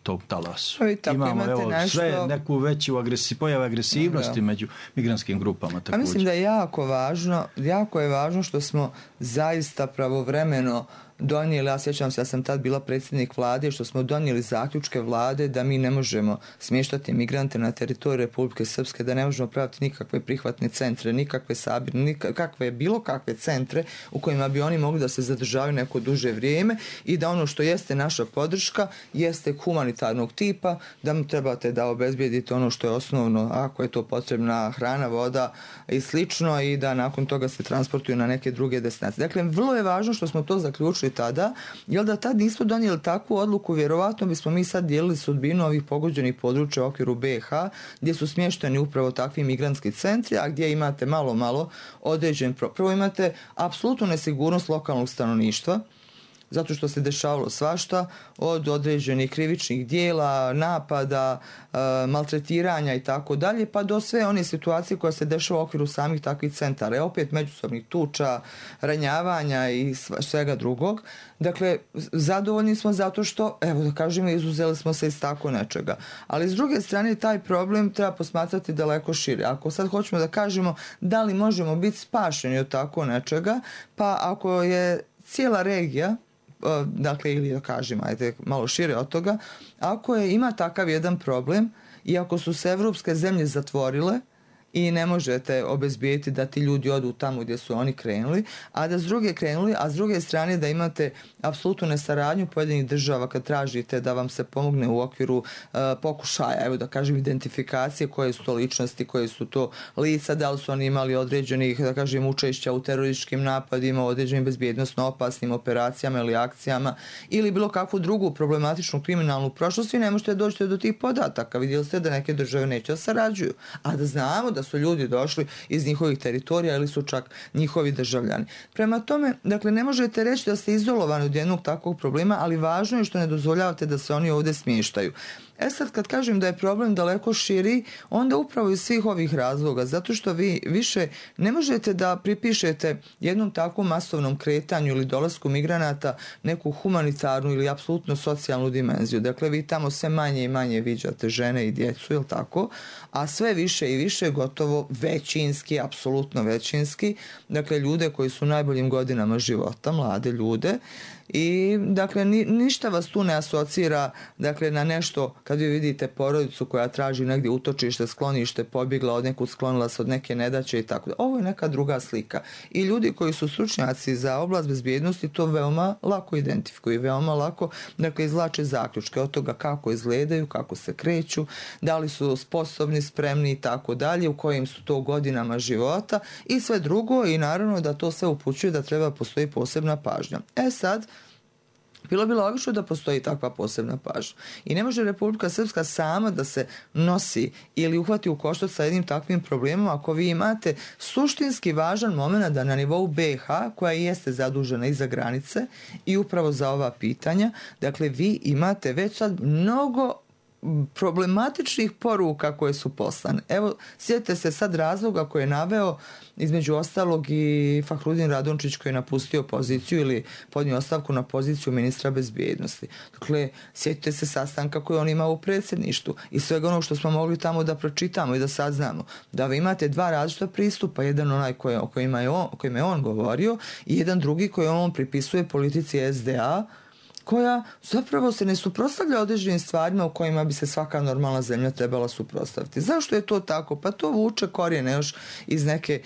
[SPEAKER 12] tom talasu? Imamo evo, nešto... sve neku veću agresi... pojave agresivnosti da. među migrantskim grupama. Također.
[SPEAKER 13] A mislim da je jako važno, jako je važno što smo zaista pravovremeno donijeli, ja sjećam se, ja sam tad bila predsjednik vlade, što smo donijeli zaključke vlade da mi ne možemo smještati migrante na teritoriju Republike Srpske, da ne možemo praviti nikakve prihvatne centre, nikakve sabirne, nikakve, bilo kakve centre u kojima bi oni mogli da se zadržavaju neko duže vrijeme i da ono što jeste naša podrška jeste humanitarnog tipa, da mu trebate da obezbijedite ono što je osnovno, ako je to potrebna hrana, voda i slično, i da nakon toga se transportuju na neke druge destinacije. Dakle, vrlo je važno što smo to zaključili došli tada, jer da tad nismo donijeli takvu odluku, vjerovatno bismo mi sad dijelili sudbinu ovih pogođenih područja u okviru B i H, gdje su smješteni upravo takvi migrantski centri, a gdje imate malo, malo određen pro... Prvo imate apsolutnu nesigurnost lokalnog stanovništva, zato što se dešavalo svašta, od određenih krivičnih dijela, napada, e, maltretiranja i tako dalje, pa do sve one situacije koje se dešava u okviru samih takvih centara. E, opet međusobnih tuča, ranjavanja i svega drugog. Dakle, zadovoljni smo zato što, evo da kažemo, izuzeli smo se iz tako nečega. Ali s druge strane, taj problem treba posmatrati daleko šire. Ako sad hoćemo da kažemo da li možemo biti spašeni od tako nečega, pa ako je cijela regija, dakle, ili da kažem, ajde malo šire od toga, ako je, ima takav jedan problem i ako su se evropske zemlje zatvorile i ne možete obezbijeti da ti ljudi odu tamo gdje su oni krenuli, a da s druge krenuli, a s druge strane da imate apsolutnu nesaradnju pojedinih država kad tražite da vam se pomogne u okviru uh, pokušaja, evo da kažem, identifikacije koje su to ličnosti, koje su to lica, da li su oni imali određenih, da kažem, učešća u terorističkim napadima, određenim bezbjednosno opasnim operacijama ili akcijama ili bilo kakvu drugu problematičnu kriminalnu prošlost, i ne možete doći do tih podataka. Vidjeli ste da neke države neće da sarađuju, a da znamo da su ljudi došli iz njihovih teritorija ili su čak njihovi državljani. Prema tome, dakle, ne možete reći da ste izolovani od jednog takvog problema, ali važno je što ne dozvoljavate da se oni ovdje smještaju. E sad, kad kažem da je problem daleko širi, onda upravo iz svih ovih razloga, zato što vi više ne možete da pripišete jednom takvom masovnom kretanju ili dolasku migranata neku humanitarnu ili apsolutno socijalnu dimenziju. Dakle, vi tamo sve manje i manje viđate žene i djecu, jel tako? A sve više i više, gotovo većinski, apsolutno većinski, dakle, ljude koji su u najboljim godinama života, mlade ljude. I dakle ni, ništa vas tu ne asocira, dakle, na nešto kad vi vidite porodicu koja traži negdje utočište, sklonište, pobjegla od nekud, sklonila se od neke nedaće i tako da. Ovo je neka druga slika. I ljudi koji su stručnjaci za oblast bezbjednosti to veoma lako identifikuju, veoma lako, dakle, izvlače zaključke od toga kako izgledaju, kako se kreću, da li su sposobni, spremni i tako dalje, u kojim su to godinama života i sve drugo, i naravno da to sve upućuje da treba postoji posebna pažnja. E sad, bilo bi logično da postoji takva posebna pažnja. I ne može Republika Srpska sama da se nosi ili uhvati u koštac sa jednim takvim problemom ako vi imate suštinski važan moment da na nivou B i H, koja jeste zadužena i za granice i upravo za ova pitanja, dakle, vi imate već sad mnogo problematičnih poruka koje su poslane. Evo, sjetite se sad razloga koje je naveo između ostalog i Fahrudin Radončić, koji je napustio poziciju ili podnio ostavku na poziciju ministra bezbjednosti. Dakle, sjetite se sastanka koje on ima u predsjedništvu i svega onog što smo mogli tamo da pročitamo i da saznamo. Da vi imate dva različita pristupa, jedan onaj koji, o kojima je on, o kojima je on govorio i jedan drugi koji on pripisuje politici S D A, koja zapravo se ne suprotstavlja određenim stvarima u kojima bi se svaka normalna zemlja trebala suprotstaviti. Zašto je to tako? Pa to vuče korijene još iz neke,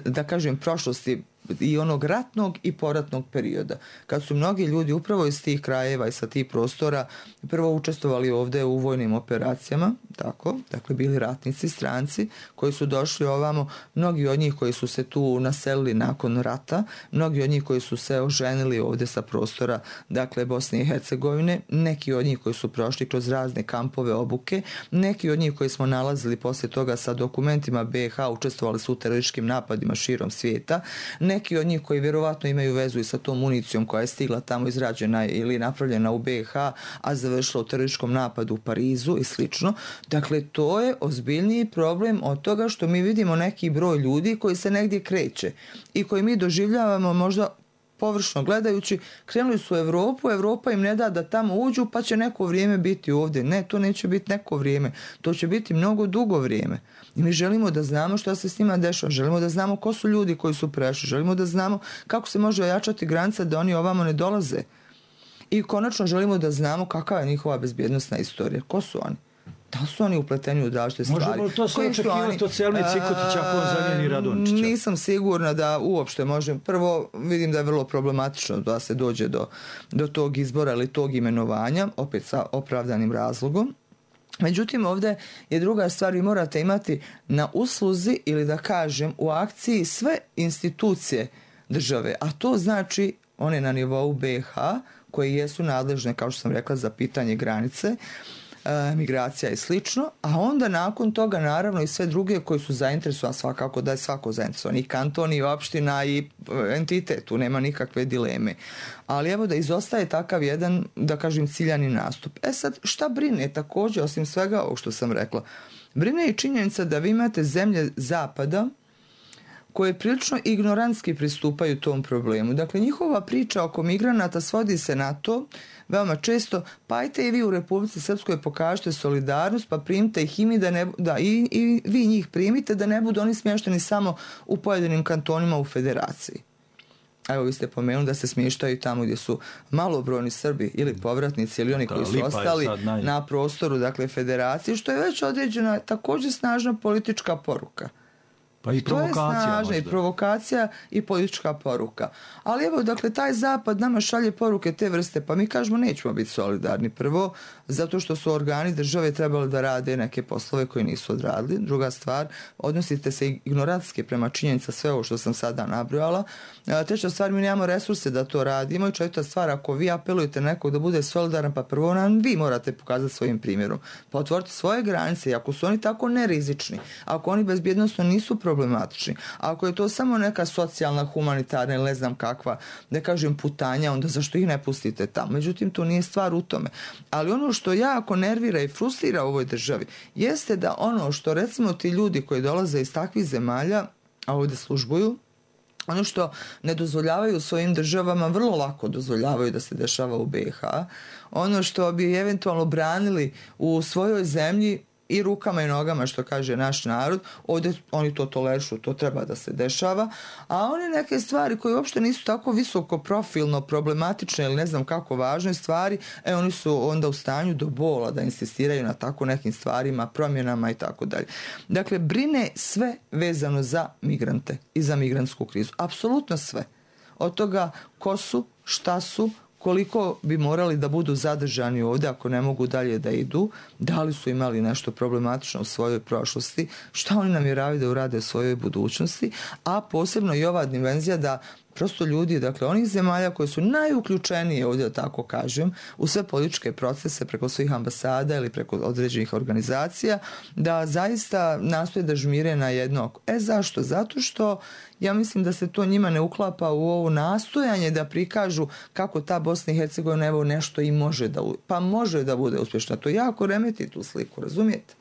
[SPEAKER 13] da kažem, prošlosti i onog ratnog i poratnog perioda, kad su mnogi ljudi upravo iz tih krajeva i sa tih prostora prvo učestvovali ovdje u vojnim operacijama, tako, dakle, bili ratnici, stranci koji su došli ovamo, mnogi od njih koji su se tu naselili nakon rata, mnogi od njih koji su se oženili ovdje sa prostora, dakle, Bosne i Hercegovine, neki od njih koji su prošli kroz razne kampove obuke, neki od njih koji smo nalazili poslije toga sa dokumentima B i H, učestvovali su u terorističkim napadima širom svijeta, neki od njih koji vjerovatno imaju vezu i sa tom municijom koja je stigla tamo, izrađena ili napravljena u B i H, a završila u terorističkom napadu u Parizu i slično. Dakle, to je ozbiljniji problem od toga što mi vidimo neki broj ljudi koji se negdje kreće i koji mi doživljavamo možda površno gledajući, krenuli su u Europu, Europa im ne da da tamo uđu, pa će neko vrijeme biti ovdje. Ne, to neće biti neko vrijeme, to će biti mnogo dugo vrijeme. I mi želimo da znamo šta se s njima dešava, želimo da znamo ko su ljudi koji su prešli, želimo da znamo kako se može ojačati granica da oni ovamo ne dolaze. I konačno želimo da znamo kakva je njihova bezbjednosna istorija, ko su oni. Da li su oni upleteni u različite stvari?
[SPEAKER 12] Možemo li to sve očekivati od Selme Cikotić ako on zamijeni Radončića?
[SPEAKER 13] Nisam sigurna da uopšte možem. Prvo, vidim da je vrlo problematično da se dođe do, do tog izbora ili tog imenovanja, opet sa opravdanim razlogom. Međutim, ovdje je druga stvar, vi morate imati na usluzi ili da kažem u akciji sve institucije države, a to znači one na nivou B i H koje jesu nadležne, kao što sam rekla, za pitanje granice, migracija i slično, a onda nakon toga naravno i sve druge koji su zainteresovani, svakako da je svako zainteresovan, i kanton i opština i entitet, tu nema nikakve dileme. Ali evo da izostaje takav jedan, da kažem, ciljani nastup. E sad, šta brine također, osim svega ovog što sam rekla? Brine i činjenica da vi imate zemlje zapada koje prilično ignorantski pristupaju tom problemu. Dakle, njihova priča oko migranata svodi se na to, veoma često, pa ajte i vi u Republici Srpskoj pokažete solidarnost, pa primite ih i mi da ne, da i, i vi njih primite, da ne budu oni smješteni samo u pojedinim kantonima u federaciji. Evo, vi ste pomenuli da se smještaju tamo gdje su malobrojni Srbi ili povratnici ili oni da, koji su ostali naj... na prostoru, dakle, federacije, što je već određena također snažna politička poruka.
[SPEAKER 12] Pa i
[SPEAKER 13] to je snažna i provokacija i politička poruka. Ali evo, dakle, taj zapad nama šalje poruke te vrste, pa mi kažemo nećemo biti solidarni. Prvo, zato što su organi države trebali da rade neke poslove koje nisu odradili. Druga stvar, odnosite se ignorantski prema činjenica sve ovo što sam sada nabrojala. Treća stvar, mi nemamo resurse da to radimo. I četvrta stvar, ako vi apelujete nekog da bude solidaran, pa prvo nam vi morate pokazati svojim primjerom. Pa otvorite svoje granice, i ako su oni tako nerizični, ako oni bezbjednosno nisu problematični, ako je to samo neka socijalna, humanitarna ili ne znam kakva, da kažem, putanja, onda zašto ih ne pustite tamo? Međutim, to nije stvar u tome. Ali ono što jako nervira i frustrira u ovoj državi jeste da ono što, recimo, ti ljudi koji dolaze iz takvih zemalja, a ovdje službuju, ono što ne dozvoljavaju u svojim državama, vrlo lako dozvoljavaju da se dešava u B i H. Ono što bi eventualno branili u svojoj zemlji i rukama i nogama, što kaže naš narod, ovdje oni to tolerišu, to treba da se dešava, a one neke stvari koje uopšte nisu tako visoko profilno problematične ili ne znam kako važne stvari, e oni su onda u stanju do bola da insistiraju na tako nekim stvarima, promjenama i tako dalje. Dakle, brine sve vezano za migrante i za migrantsku krizu. Apsolutno sve. Od toga ko su, šta su, koliko bi morali da budu zadržani ovdje ako ne mogu dalje da idu, da li su imali nešto problematično u svojoj prošlosti, šta oni namjeravaju da urade u svojoj budućnosti, a posebno i ova dimenzija da prosto ljudi, dakle, onih zemalja koji su najuključenije ovdje, da tako kažem, u sve političke procese preko svojih ambasada ili preko određenih organizacija, da zaista nastoje da žmire na jedno oko. E zašto? Zato što ja mislim da se to njima ne uklapa u ovo nastojanje da prikažu kako ta Bosna i Hercegovina evo nešto i može da, pa može da bude uspješna. To jako remeti tu sliku, razumijete?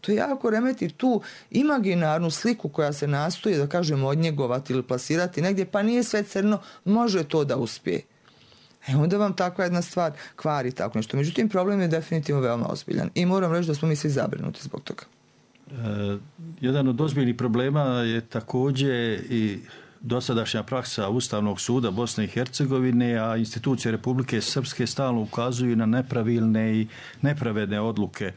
[SPEAKER 13] To jako remeti tu imaginarnu sliku koja se nastoji, da kažem, odnjegovati ili plasirati negdje, pa nije sve crno, može to da uspije. E onda vam takva jedna stvar kvari tako nešto. Međutim, problem je definitivno veoma ozbiljan i moram reći da smo mi svi zabrinuti zbog toga.
[SPEAKER 12] E, jedan od ozbiljnih problema je također i dosadašnja praksa Ustavnog suda Bosne i Hercegovine, a institucije Republike Srpske stalno ukazuju na nepravilne i nepravedne odluke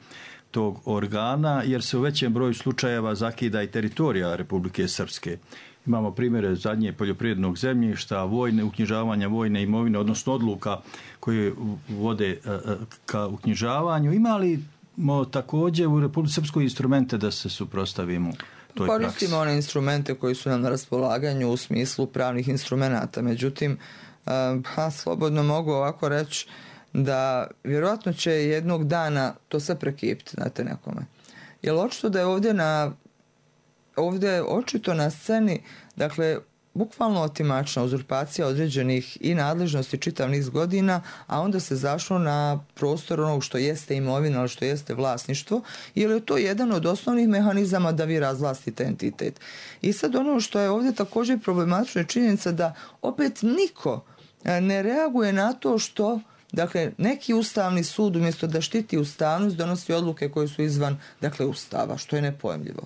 [SPEAKER 12] tog organa, jer se u većem broju slučajeva zakida i teritorija Republike Srpske. Imamo primjere zadnje poljoprivrednog zemljišta, vojne, uknjižavanja vojne imovine, odnosno odluka koje vode ka uknjižavanju. Ima li također u Republici Srpskoj instrumente da se suprotstavimo toj praksi?
[SPEAKER 13] Koristimo one instrumente koji su nam na raspolaganju u smislu pravnih instrumenata. Međutim, ha, slobodno mogu ovako reći da vjerojatno će jednog dana to sve prekipiti, znate, nekome. Jer očito da je ovdje na ovdje očito na sceni, dakle, bukvalno otimačna uzurpacija određenih i nadležnosti čitav niz godina, a onda se zašlo na prostor onog što jeste imovina, ali što jeste vlasništvo, jer je to jedan od osnovnih mehanizama da vi razvlastite entitet. I sad ono što je ovdje također problematično je činjenica da opet niko ne reaguje na to što, dakle, neki ustavni sud umjesto da štiti ustavnost donosi odluke koje su izvan, dakle, ustava, što je nepojmljivo.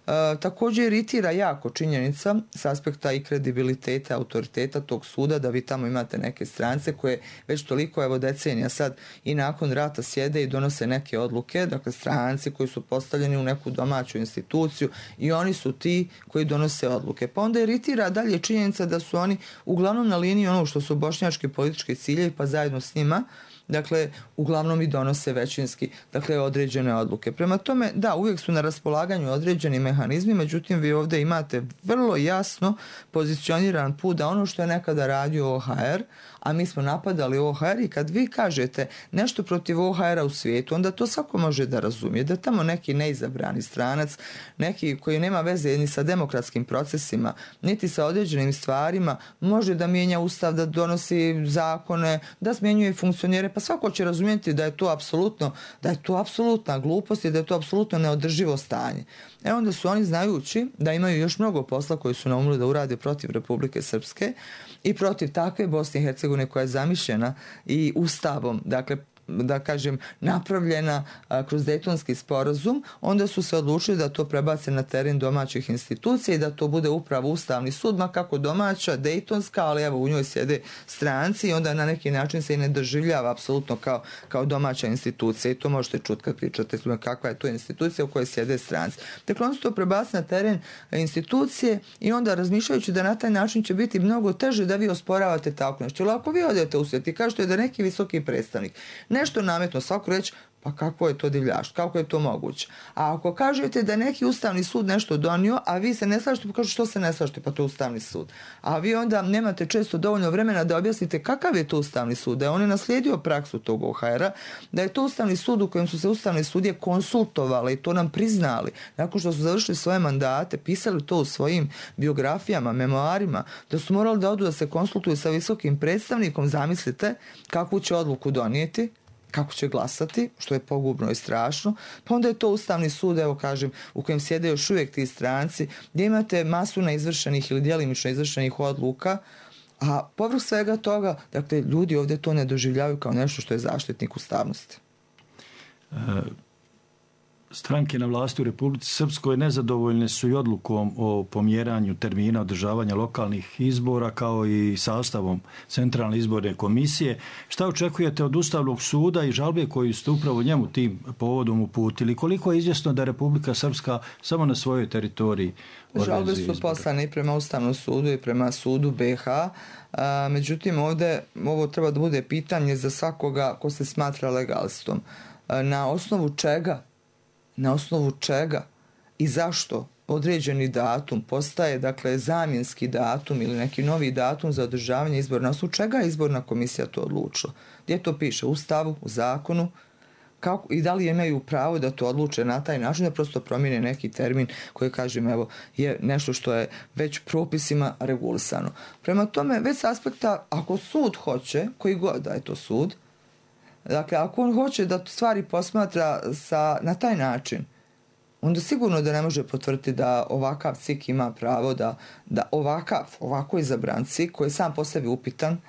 [SPEAKER 13] E, također iritira jako činjenica s aspekta i kredibiliteta, autoriteta tog suda, da vi tamo imate neke strance koje već toliko, evo, decenija sad i nakon rata sjede i donose neke odluke, dakle stranci koji su postavljeni u neku domaću instituciju i oni su ti koji donose odluke. Pa onda iritira dalje činjenica da su oni uglavnom na liniji onog što su bošnjački politički ciljevi, pa zajedno s njima dakle, uglavnom i donose većinski, dakle, određene odluke. Prema tome, da, uvijek su na raspolaganju određeni mehanizmi, međutim, vi ovdje imate vrlo jasno pozicioniran put da ono što je nekada radio O H R, a mi smo napadali O H R, i kad vi kažete nešto protiv O H R-a u svijetu, onda to svako može da razumije, da tamo neki neizabrani stranac, neki koji nema veze ni sa demokratskim procesima, niti sa određenim stvarima, može da mijenja ustav, da donosi zakone, da smjenjuje funkcionere, pa svako će razumjeti da je to apsolutno, da je to apsolutna glupost i da je to apsolutno neodrživo stanje. E onda su oni, znajući da imaju još mnogo posla koji su naumili da urade protiv Republike Srpske i protiv takve Bosne i Hercegovine koja je zamišljena i ustavom, dakle, da kažem, napravljena a, kroz Dejtonski sporazum, onda su se odlučili da to prebace na teren domaćih institucija i da to bude upravo Ustavni sud, ma kako domaća, Dejtonska, ali evo u njoj sjede stranci i onda na neki način se i ne doživljava apsolutno kao, kao domaća institucija, i to možete čuti kad pričate kakva je to institucija u kojoj sjede stranci. Dakle, oni su to prebacili na teren institucije i onda razmišljajući da na taj način će biti mnogo teže da vi osporavate tako nešto. Ali ako vi odete u svijet i kažete da neki visoki predstavnik nešto nametno, svako reći, pa kako je to divljaštvo, kako je to moguće. A ako kažete da neki Ustavni sud nešto donio, a vi se ne slažete, pa kažete što se ne slažete, pa to je Ustavni sud. A vi onda nemate često dovoljno vremena da objasnite kakav je to Ustavni sud, da je on je naslijedio praksu tog O H R-a, da je to Ustavni sud u kojem su se Ustavni sudije konsultovali i to nam priznali. Nakon što su završili svoje mandate, pisali to u svojim biografijama, memoarima, da su morali da odu da se konsultuju sa visokim predstavnikom, zamislite kakvu će odluku donijeti, kako će glasati, što je pogubno i strašno, pa onda je to Ustavni sud, evo kažem, u kojem sjede još uvijek ti stranci, gdje imate masu neizvršenih ili djelimično izvršenih odluka, a povrh svega toga, dakle, ljudi ovdje to ne doživljavaju kao nešto što je zaštitnik ustavnosti.
[SPEAKER 12] E, stranke na vlasti u Republici Srpskoj nezadovoljne su i odlukom o pomjeranju termina održavanja lokalnih izbora kao i sastavom Centralne izborne komisije. Šta očekujete od Ustavnog suda i žalbe koju ste upravo njemu tim povodom uputili? Koliko je izvjesno da Republika Srpska samo na svojoj teritoriji
[SPEAKER 13] organizuje izbore? Žalbe su poslane i prema Ustavnom sudu i prema sudu B iH. A, međutim, ovdje ovo treba da bude pitanje za svakoga ko se smatra legalistom. A, na osnovu čega na osnovu čega i zašto određeni datum postaje, dakle, zamjenski datum ili neki novi datum za održavanje izbora, na osnovu čega je izborna komisija to odlučila? Gdje to piše? U Ustavu, u zakonu? Kako, i da li imaju pravo da to odluče na taj način, da prosto promijene neki termin koji, kažem, evo, je nešto što je već propisima regulisano. Prema tome, već s aspekta, ako sud hoće, koji god da je to sud, dakle, ako on hoće da stvari posmatra sa, na taj način, onda sigurno da ne može potvrditi da ovakav C I K ima pravo da, da ovakav, ovako izabran C I K koji je sam po sebi upitan,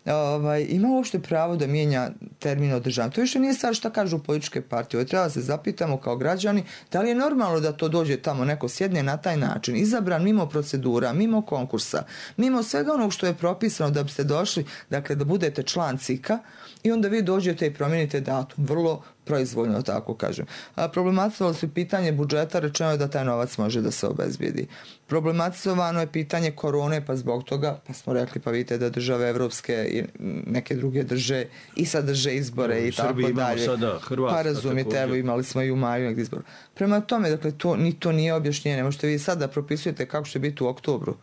[SPEAKER 13] ovaj, ima uopšte pravo da mijenja termin održavanja. To više nije stvar šta kažu političke partije. Ovo treba se zapitamo kao građani da li je normalno da to dođe tamo, neko sjedne na taj način, izabran mimo procedura, mimo konkursa, mimo svega onog što je propisano da biste došli, dakle, da budete član C I K-a i onda vi dođete i promijenite datum. Vrlo proizvoljno, tako kažem. A problematizovalo se pitanje budžeta, rečeno je da taj novac može da se obezbijedi. Problematizovano je pitanje korone, pa zbog toga, pa smo rekli, pa vidite da države evropske i neke druge drže i sad drže izbore i, i tako dalje. Sada Hrvatska, pa razumite, evo, imali smo i u maju nekde izbor. Prema tome, dakle, to, ni to nije objašnjenje. Možete vi sad da propisujete kako će biti u oktobru.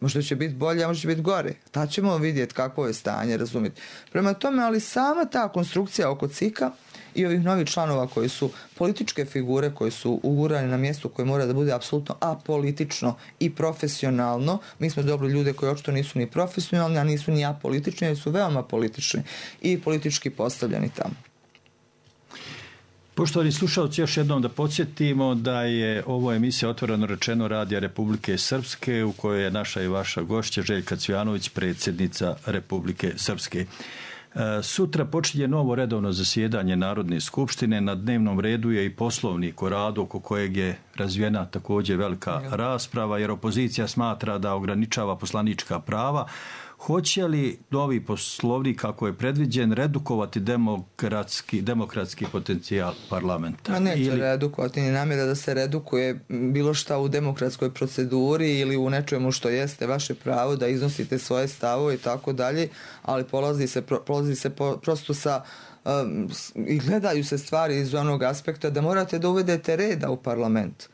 [SPEAKER 13] Možda će biti bolje, a možda će biti gore. Ta ćemo vidjeti kakvo je stanje, razumjeti. Prema tome, ali sama ta konstrukcija oko C I K-a i ovih novih članova koji su političke figure, koji su ugurani na mjestu koje mora da bude apsolutno apolitično i profesionalno. Mi smo dobili ljude koji očito nisu ni profesionalni, a nisu ni apolitični, jer su veoma politični i politički postavljeni tamo.
[SPEAKER 12] Poštovani slušalci, još jednom da podsjetimo da je ovo emisija Otvoreno rečeno Radija Republike Srpske, u kojoj je naša i vaša gošća Željka Cvijanović, predsjednica Republike Srpske. Sutra počinje novo redovno zasjedanje Narodne skupštine. Na dnevnom redu je i poslovnik o radu, oko kojeg je razvijena također velika rasprava, jer opozicija smatra da ograničava poslanička prava. Hoće li novi poslovnik, kako je predviđen, redukovati demokratski, demokratski potencijal parlamenta?
[SPEAKER 13] Ma neće
[SPEAKER 12] ili...
[SPEAKER 13] redukovati, ni namjera da se redukuje bilo šta u demokratskoj proceduri ili u nečemu što jeste vaše pravo da iznosite svoje stavove i tako dalje, ali polazi se, polazi se po, prosto sa um, i gledaju se stvari iz onog aspekta da morate da uvedete reda u parlament.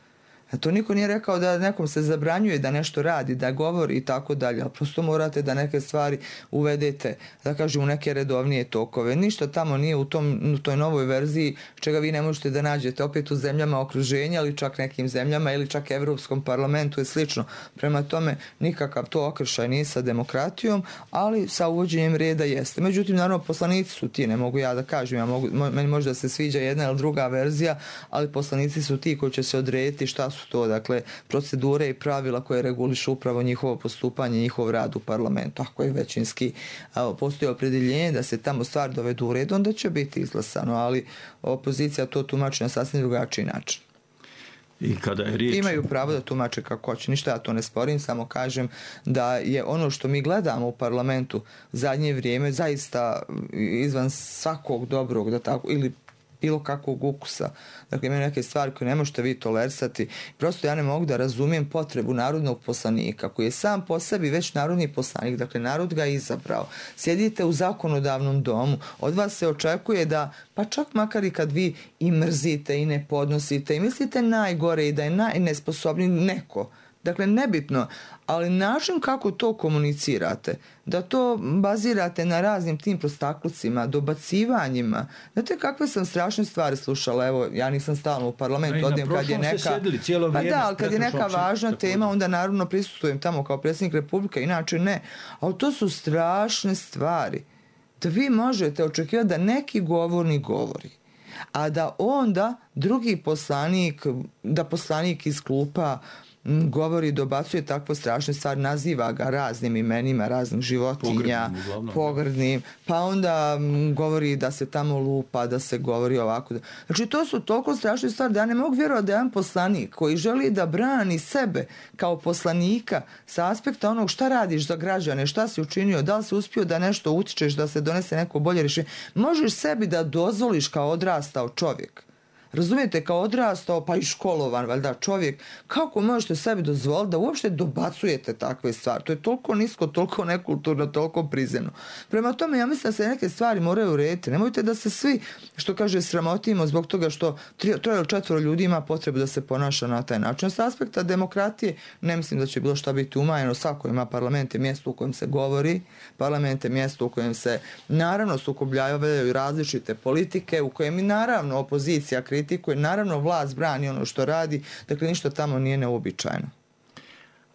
[SPEAKER 13] A to niko nije rekao da nekom se zabranjuje da nešto radi, da govori i tako dalje, ali prosto morate da neke stvari uvedete, da kažem, u neke redovnije tokove. Ništa tamo nije u, tom, u toj novoj verziji čega vi ne možete da nađete opet u zemljama okruženja ili čak nekim zemljama ili čak Evropskom parlamentu i slično. Prema tome, nikakav to okršaj nije sa demokratijom, ali sa uvođenjem reda jeste. Međutim, naravno, poslanici su ti, ne mogu ja da kažem, ja mogu, meni možda se sviđa jedna ili druga verzija, ali poslanici su ti koji će se odrediti šta su to, dakle, procedure i pravila koje regulišu upravo njihovo postupanje, njihov rad u parlamentu. Ako je većinski postoji opredjeljenje da se tamo stvar dovedu u red, onda će biti izglasano, ali opozicija to tumači na sasvim drugačiji način.
[SPEAKER 12] I kada je riječ...
[SPEAKER 13] Imaju pravo da tumače kako hoće, ništa ja to ne sporim, samo kažem da je ono što mi gledamo u parlamentu zadnje vrijeme zaista izvan svakog dobrog, da tako, ili bilo kakvog ukusa. Dakle, imaju neke stvari koje ne možete vi tolerisati. Prosto ja ne mogu da razumijem potrebu narodnog poslanika, koji je sam po sebi već narodni poslanik, dakle, narod ga je izabrao. Sjedite u zakonodavnom domu, od vas se očekuje da, pa čak makar i kad vi i mrzite i ne podnosite i mislite najgore i da je najnesposobniji neko, dakle, nebitno, ali način kako to komunicirate, da to bazirate na raznim tim prostaklucima, dobacivanjima. Znate kakve sam strašne stvari slušala, evo, ja nisam stalno u parlamentu, odem kad je neka...
[SPEAKER 12] Sjedili, cijelo vrijeme,
[SPEAKER 13] pa da, ali kad je neka važna tema, onda naravno prisustvujem tamo kao predsjednik Republike, inače ne. Ali to su strašne stvari. Da vi možete očekivati da neki govornik govori, a da onda drugi poslanik, da poslanik iz klupa govori, dobacuje takvo strašne stvari, naziva ga raznim imenima, raznih životinja, pogrdnim, pogrdnim, pa onda govori da se tamo lupa, da se govori ovako. Znači, to su toliko strašne stvari da ja ne mogu vjerovati da jedan poslanik koji želi da brani sebe kao poslanika sa aspekta onog šta radiš za građane, šta si učinio, da li si uspio da nešto utičeš, da se donese neko bolje rješenje, možeš sebi da dozvoliš kao odrastao čovjek. Razumijete, kao odrastao, pa i školovan, valjda čovjek, kako možete sebi dozvoliti da uopšte dobacujete takve stvari? To je toliko nisko, toliko nekulturno, toliko prizemno. Prema tome, ja mislim da se neke stvari moraju urediti. Nemojte da se svi, što kaže, sramotimo zbog toga što troje ili četvoro ljudi ima potrebu da se ponaša na taj način. S aspekta demokratije, ne mislim da će bilo šta biti umanjeno. Svako ima parlament je mjesto u kojem se govori, parlament je mjesto u kojem se naravno sukobljavaju različite politike, u kojem i naravno opozicija kritikuje, koje naravno vlast brani ono što radi, dakle ništa tamo nije neuobičajeno.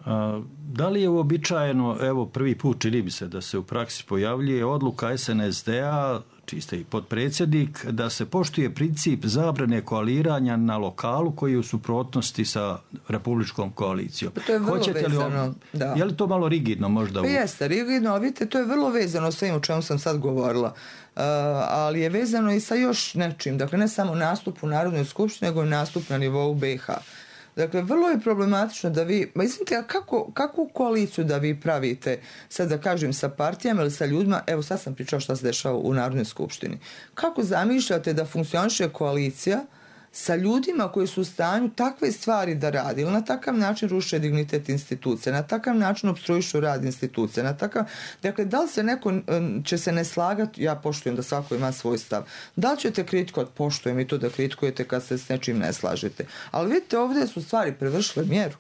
[SPEAKER 12] A, da li je uobičajeno, evo prvi put čini mi se da se u praksi pojavljuje odluka S N S D-a, čiji ste i potpredsjednik, da se poštuje princip zabrane koaliranja na lokalu koji je u suprotnosti sa republičkom koalicijom?
[SPEAKER 13] Pa to je vrlo
[SPEAKER 12] Hoćete
[SPEAKER 13] vezano.
[SPEAKER 12] Li,
[SPEAKER 13] da.
[SPEAKER 12] Je li to malo rigidno možda?
[SPEAKER 13] Pa jeste rigidno, ali vidite, to je vrlo vezano sa ovim o čemu sam sad govorila. Uh, ali je vezano i sa još nečim. Dakle, ne samo nastup u Narodnoj skupštini, nego i nastup na nivou B i H. Dakle, vrlo je problematično da vi, ma izvinite, a kako, kakvu koaliciju da vi pravite, sad da kažem, sa partijama ili sa ljudima, evo sad sam pričao šta se dešava u Narodnoj skupštini. Kako zamišljate da funkcioniše koalicija sa ljudima koji su u stanju takve stvari da radi, ili na takav način ruše dignitet institucije, na takav način opstruišu rad institucije, na takav, dakle, da li se neko će se ne slagati, ja poštujem da svako ima svoj stav, da li ćete kritikovati, poštujem i to da kritikujete kad se s nečim ne slažete, ali vidite, ovdje su stvari prevršile mjeru.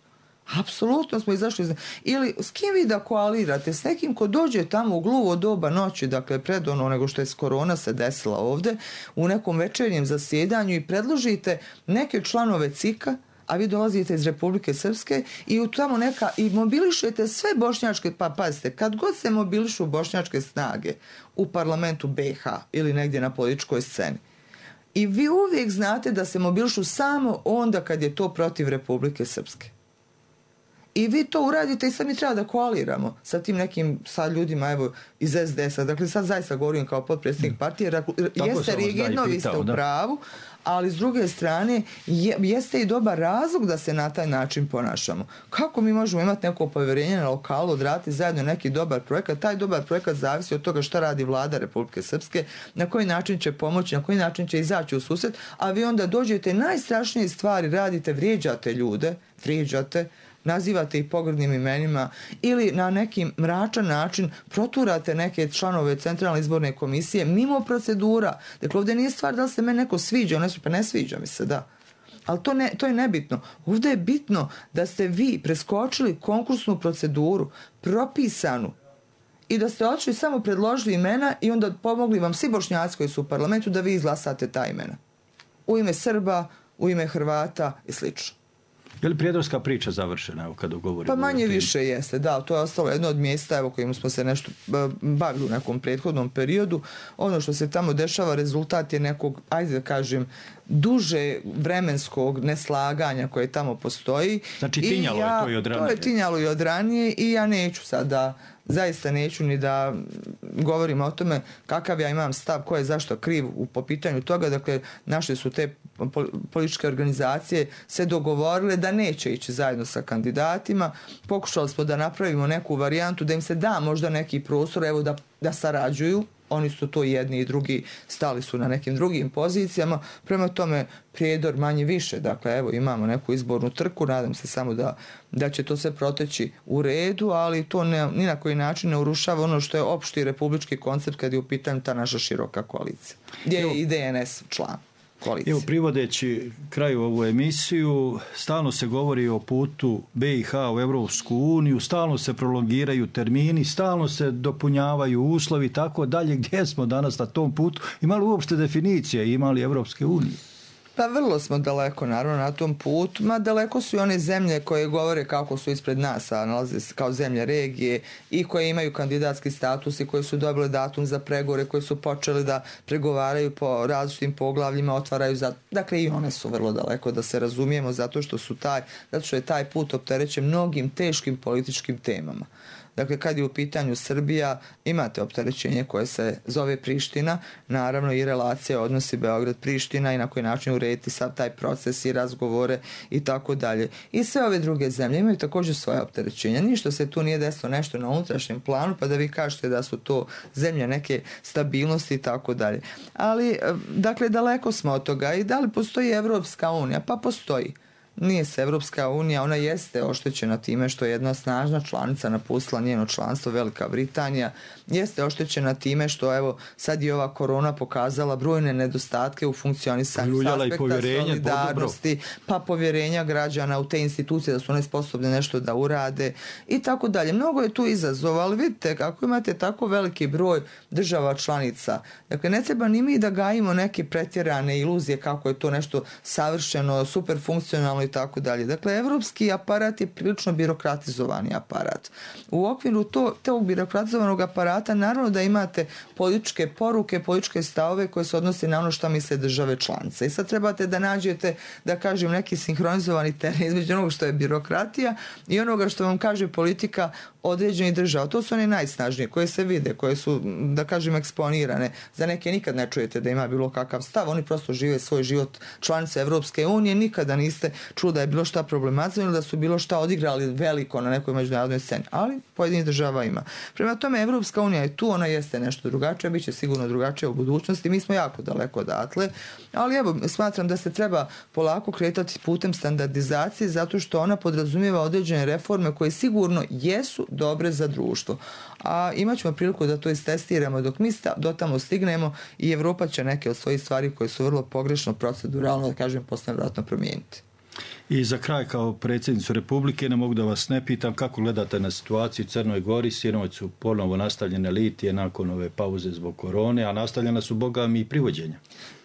[SPEAKER 13] Apsolutno smo izašli iz... Ili s kim vi da koalirate? S nekim ko dođe tamo u gluvo doba noći, dakle pred ono nego što je korona se desila ovdje, u nekom večernjem zasjedanju i predložite neke članove C I K-a, a vi dolazite iz Republike Srpske i u tamo neka, i mobilišete sve bošnjačke, pa pazite, kad god se mobilišu bošnjačke snage u parlamentu B i H ili negdje na političkoj sceni, i vi uvijek znate da se mobilišu samo onda kad je to protiv Republike Srpske. I vi to uradite i sad mi treba da koaliramo sa tim nekim sad ljudima, evo, iz es de esa. Dakle, sad zaista govorim kao potpredsjednik partije. Tako jeste rigidno, vi ste u pravu, ali s druge strane je, jeste i dobar razlog da se na taj način ponašamo. Kako mi možemo imati neko povjerenje na lokalu, odraditi zajedno neki dobar projekat? Taj dobar projekat zavisi od toga šta radi vlada Republike Srpske, na koji način će pomoći, na koji način će izaći u susret, a vi onda dođete najstrašnije stvari, radite, vrijeđate ljude, vrijeđate, nazivate ih pogrdnim imenima ili na neki mračan način proturate neke članove Centralne izborne komisije mimo procedura. Dakle, ovdje nije stvar da li se meni neko sviđa, ne, pa ne sviđa mi se, da. Ali to, ne, to je nebitno. Ovdje je bitno da ste vi preskočili konkursnu proceduru, propisanu, i da ste otišli samo predložili imena i onda pomogli vam svi Bošnjaci koji su u parlamentu da vi izglasate ta imena. U ime Srba, u ime Hrvata i slično.
[SPEAKER 12] Je li prijedorska priča završena, evo kada govorimo?
[SPEAKER 13] Pa manje više jeste, da, to je ostalo jedno od mjesta, evo, kojim smo se nešto bavili u nekom prethodnom periodu. Ono što se tamo dešava, rezultat je nekog, ajde da kažem, duže vremenskog neslaganja koje tamo postoji.
[SPEAKER 12] Znači tinjalo ja, je to i od ranije.
[SPEAKER 13] To je tinjalo i od ranije i ja neću sada, zaista neću ni da govorim o tome kakav ja imam stav, ko je zašto kriv u, po pitanju toga. Dakle, naše su te političke organizacije se dogovorile da neće ići zajedno sa kandidatima. Pokušali smo da napravimo neku varijantu da im se da možda neki prostor, evo, da, da sarađuju. Oni su to jedni i drugi, stali su na nekim drugim pozicijama. Prema tome, Prijedor manje više. Dakle, evo, imamo neku izbornu trku, nadam se samo da, da će to sve proteći u redu, ali to ne, ni na koji način ne urušava ono što je opšti republički koncept kad je u pitanju ta naša široka koalicija. Gdje je i de en es član koalicije.
[SPEAKER 12] Evo, privodeći kraju ovu emisiju, stalno se govori o putu be i ha u Evropsku uniju, stalno se prolongiraju termini, stalno se dopunjavaju uslovi i tako dalje. Gdje smo danas na tom putu? Ima li uopšte definicije? Ima li Evropske unije?
[SPEAKER 13] Pa vrlo smo daleko, naravno, na tom putu. Ma daleko su i one zemlje koje govore kako su ispred nas, a nalaze se kao zemlje regije i koje imaju kandidatski status i koje su dobile datum za pregovore, koje su počeli da pregovaraju po različitim poglavljima, otvaraju za... Dakle, i one su vrlo daleko, da se razumijemo, zato što su taj, zato što je taj put opterećen mnogim teškim političkim temama. Dakle, kad je u pitanju Srbija, imate opterećenje koje se zove Priština, naravno i relacija odnosi Beograd-Priština i na koji način urediti sav taj proces i razgovore i tako dalje. I sve ove druge zemlje imaju također svoje opterećenja. Ništa se tu nije desilo nešto na unutrašnjem planu, pa da vi kažete da su to zemlje neke stabilnosti i tako dalje. Ali, dakle, daleko smo od toga. I da li postoji Evropska unija? Pa postoji. Nije se Evropska unija, ona jeste oštećena time što je jedna snažna članica napustila njeno članstvo, Velika Britanija, jeste oštećena time što, evo, sad je ova korona pokazala brojne nedostatke u funkcionisanju s aspekta solidarnosti, pa povjerenja građana u te institucije da su one sposobne nešto da urade i tako dalje. Mnogo je tu izazova, ali vidite, kako imate tako veliki broj država članica, dakle, ne treba ni mi da gajimo neke pretjerane iluzije kako je to nešto savršeno, super funkcionalno i tako dalje. Dakle, evropski aparat je prilično birokratizovani aparat. U okviru to, tog birokratizovanog aparata naravno da imate političke poruke, političke stavove koje se odnose na ono što misle države članice. I sad trebate da nađete, da kažem, neki sinhronizovani teren između onoga što je birokratija i onoga što vam kaže politika određenih država. To su one najsnažnije, koje se vide, koje su, da kažem, eksponirane. Za neke nikad ne čujete da ima bilo kakav stav, oni prosto žive svoj život članice Evropske unije, nikada niste čuli da je bilo šta problematizovano ili da su bilo šta odigrali veliko na nekoj međunarodnoj sceni, ali pojedinih država ima. Prema tome, Evropska unija je tu, ona jeste nešto drugačije, bit će sigurno drugačije u budućnosti, mi smo jako daleko odatle, ali evo, smatram da se treba polako kretati putem standardizacije, zato što ona podrazumijeva određene reforme koje sigurno jesu dobre za društvo. A imat ćemo priliku da to istestiramo dok mi do tamo stignemo i Evropa će neke od svojih stvari koje su vrlo pogrešno proceduralno, da kažem, posle vratno promijeniti.
[SPEAKER 12] I za kraj, kao predsjednicu Republike, ne mogu da vas ne pitam kako gledate na situaciju u Crnoj Gori. Sinoć su ponovo nastavljene litije nakon ove pauze zbog korone, a nastavljena su, boga mi, i privođenja.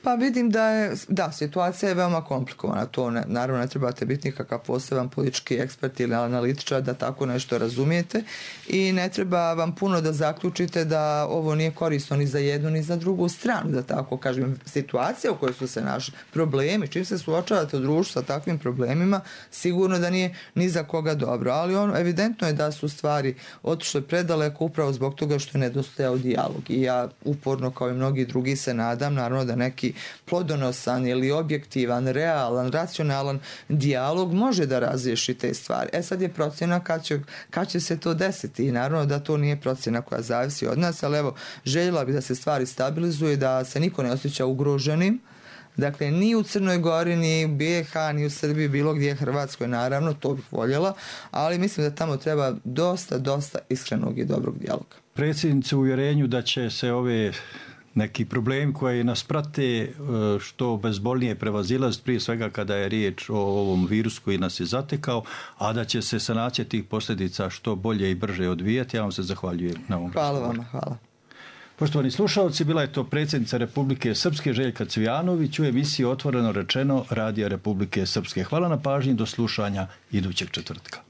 [SPEAKER 13] Pa vidim da je, da, situacija je veoma komplikovana. To ne, naravno ne trebate biti nikakav poseban politički ekspert ili analitičar da tako nešto razumijete i ne treba vam puno da zaključite da ovo nije korisno ni za jednu ni za drugu stranu, da tako kažem. Situacija u kojoj su se našli problemi, čim se suočavate u društvu sa takvim problemima, sigurno da nije ni za koga dobro, ali ono, evidentno je da su stvari otišle predaleko upravo zbog toga što je nedostajao dijalog i ja uporno kao i mnogi drugi se nadam naravno da neki plodonosan ili objektivan, realan, racionalan dijalog može da razriješi te stvari. E sad je procjena kad će, kad će se to desiti i naravno da to nije procjena koja zavisi od nas, ali evo željela bi da se stvari stabilizuje, da se niko ne osjeća ugroženim. Dakle, ni u Crnoj Gori, ni u B i H, ni u Srbiji, bilo gdje, Hrvatskoj, naravno, to bih voljela, ali mislim da tamo treba dosta, dosta iskrenog i dobrog dijaloga.
[SPEAKER 12] Predsjednice, u uvjerenju da će se ove neki problemi koji nas prate što bezbolnije prevazilaziti, prije svega kada je riječ o ovom virusu koji nas je zatekao, a da će se sanacija tih posljedica što bolje i brže odvijati. Ja vam se zahvaljujem na ovom.
[SPEAKER 13] Hvala vam, hvala.
[SPEAKER 12] Poštovani slušalci, bila je to predsjednica Republike Srpske Željka Cvijanović u emisiji Otvoreno rečeno Radija Republike Srpske. Hvala na pažnji, do slušanja idućeg četvrtka.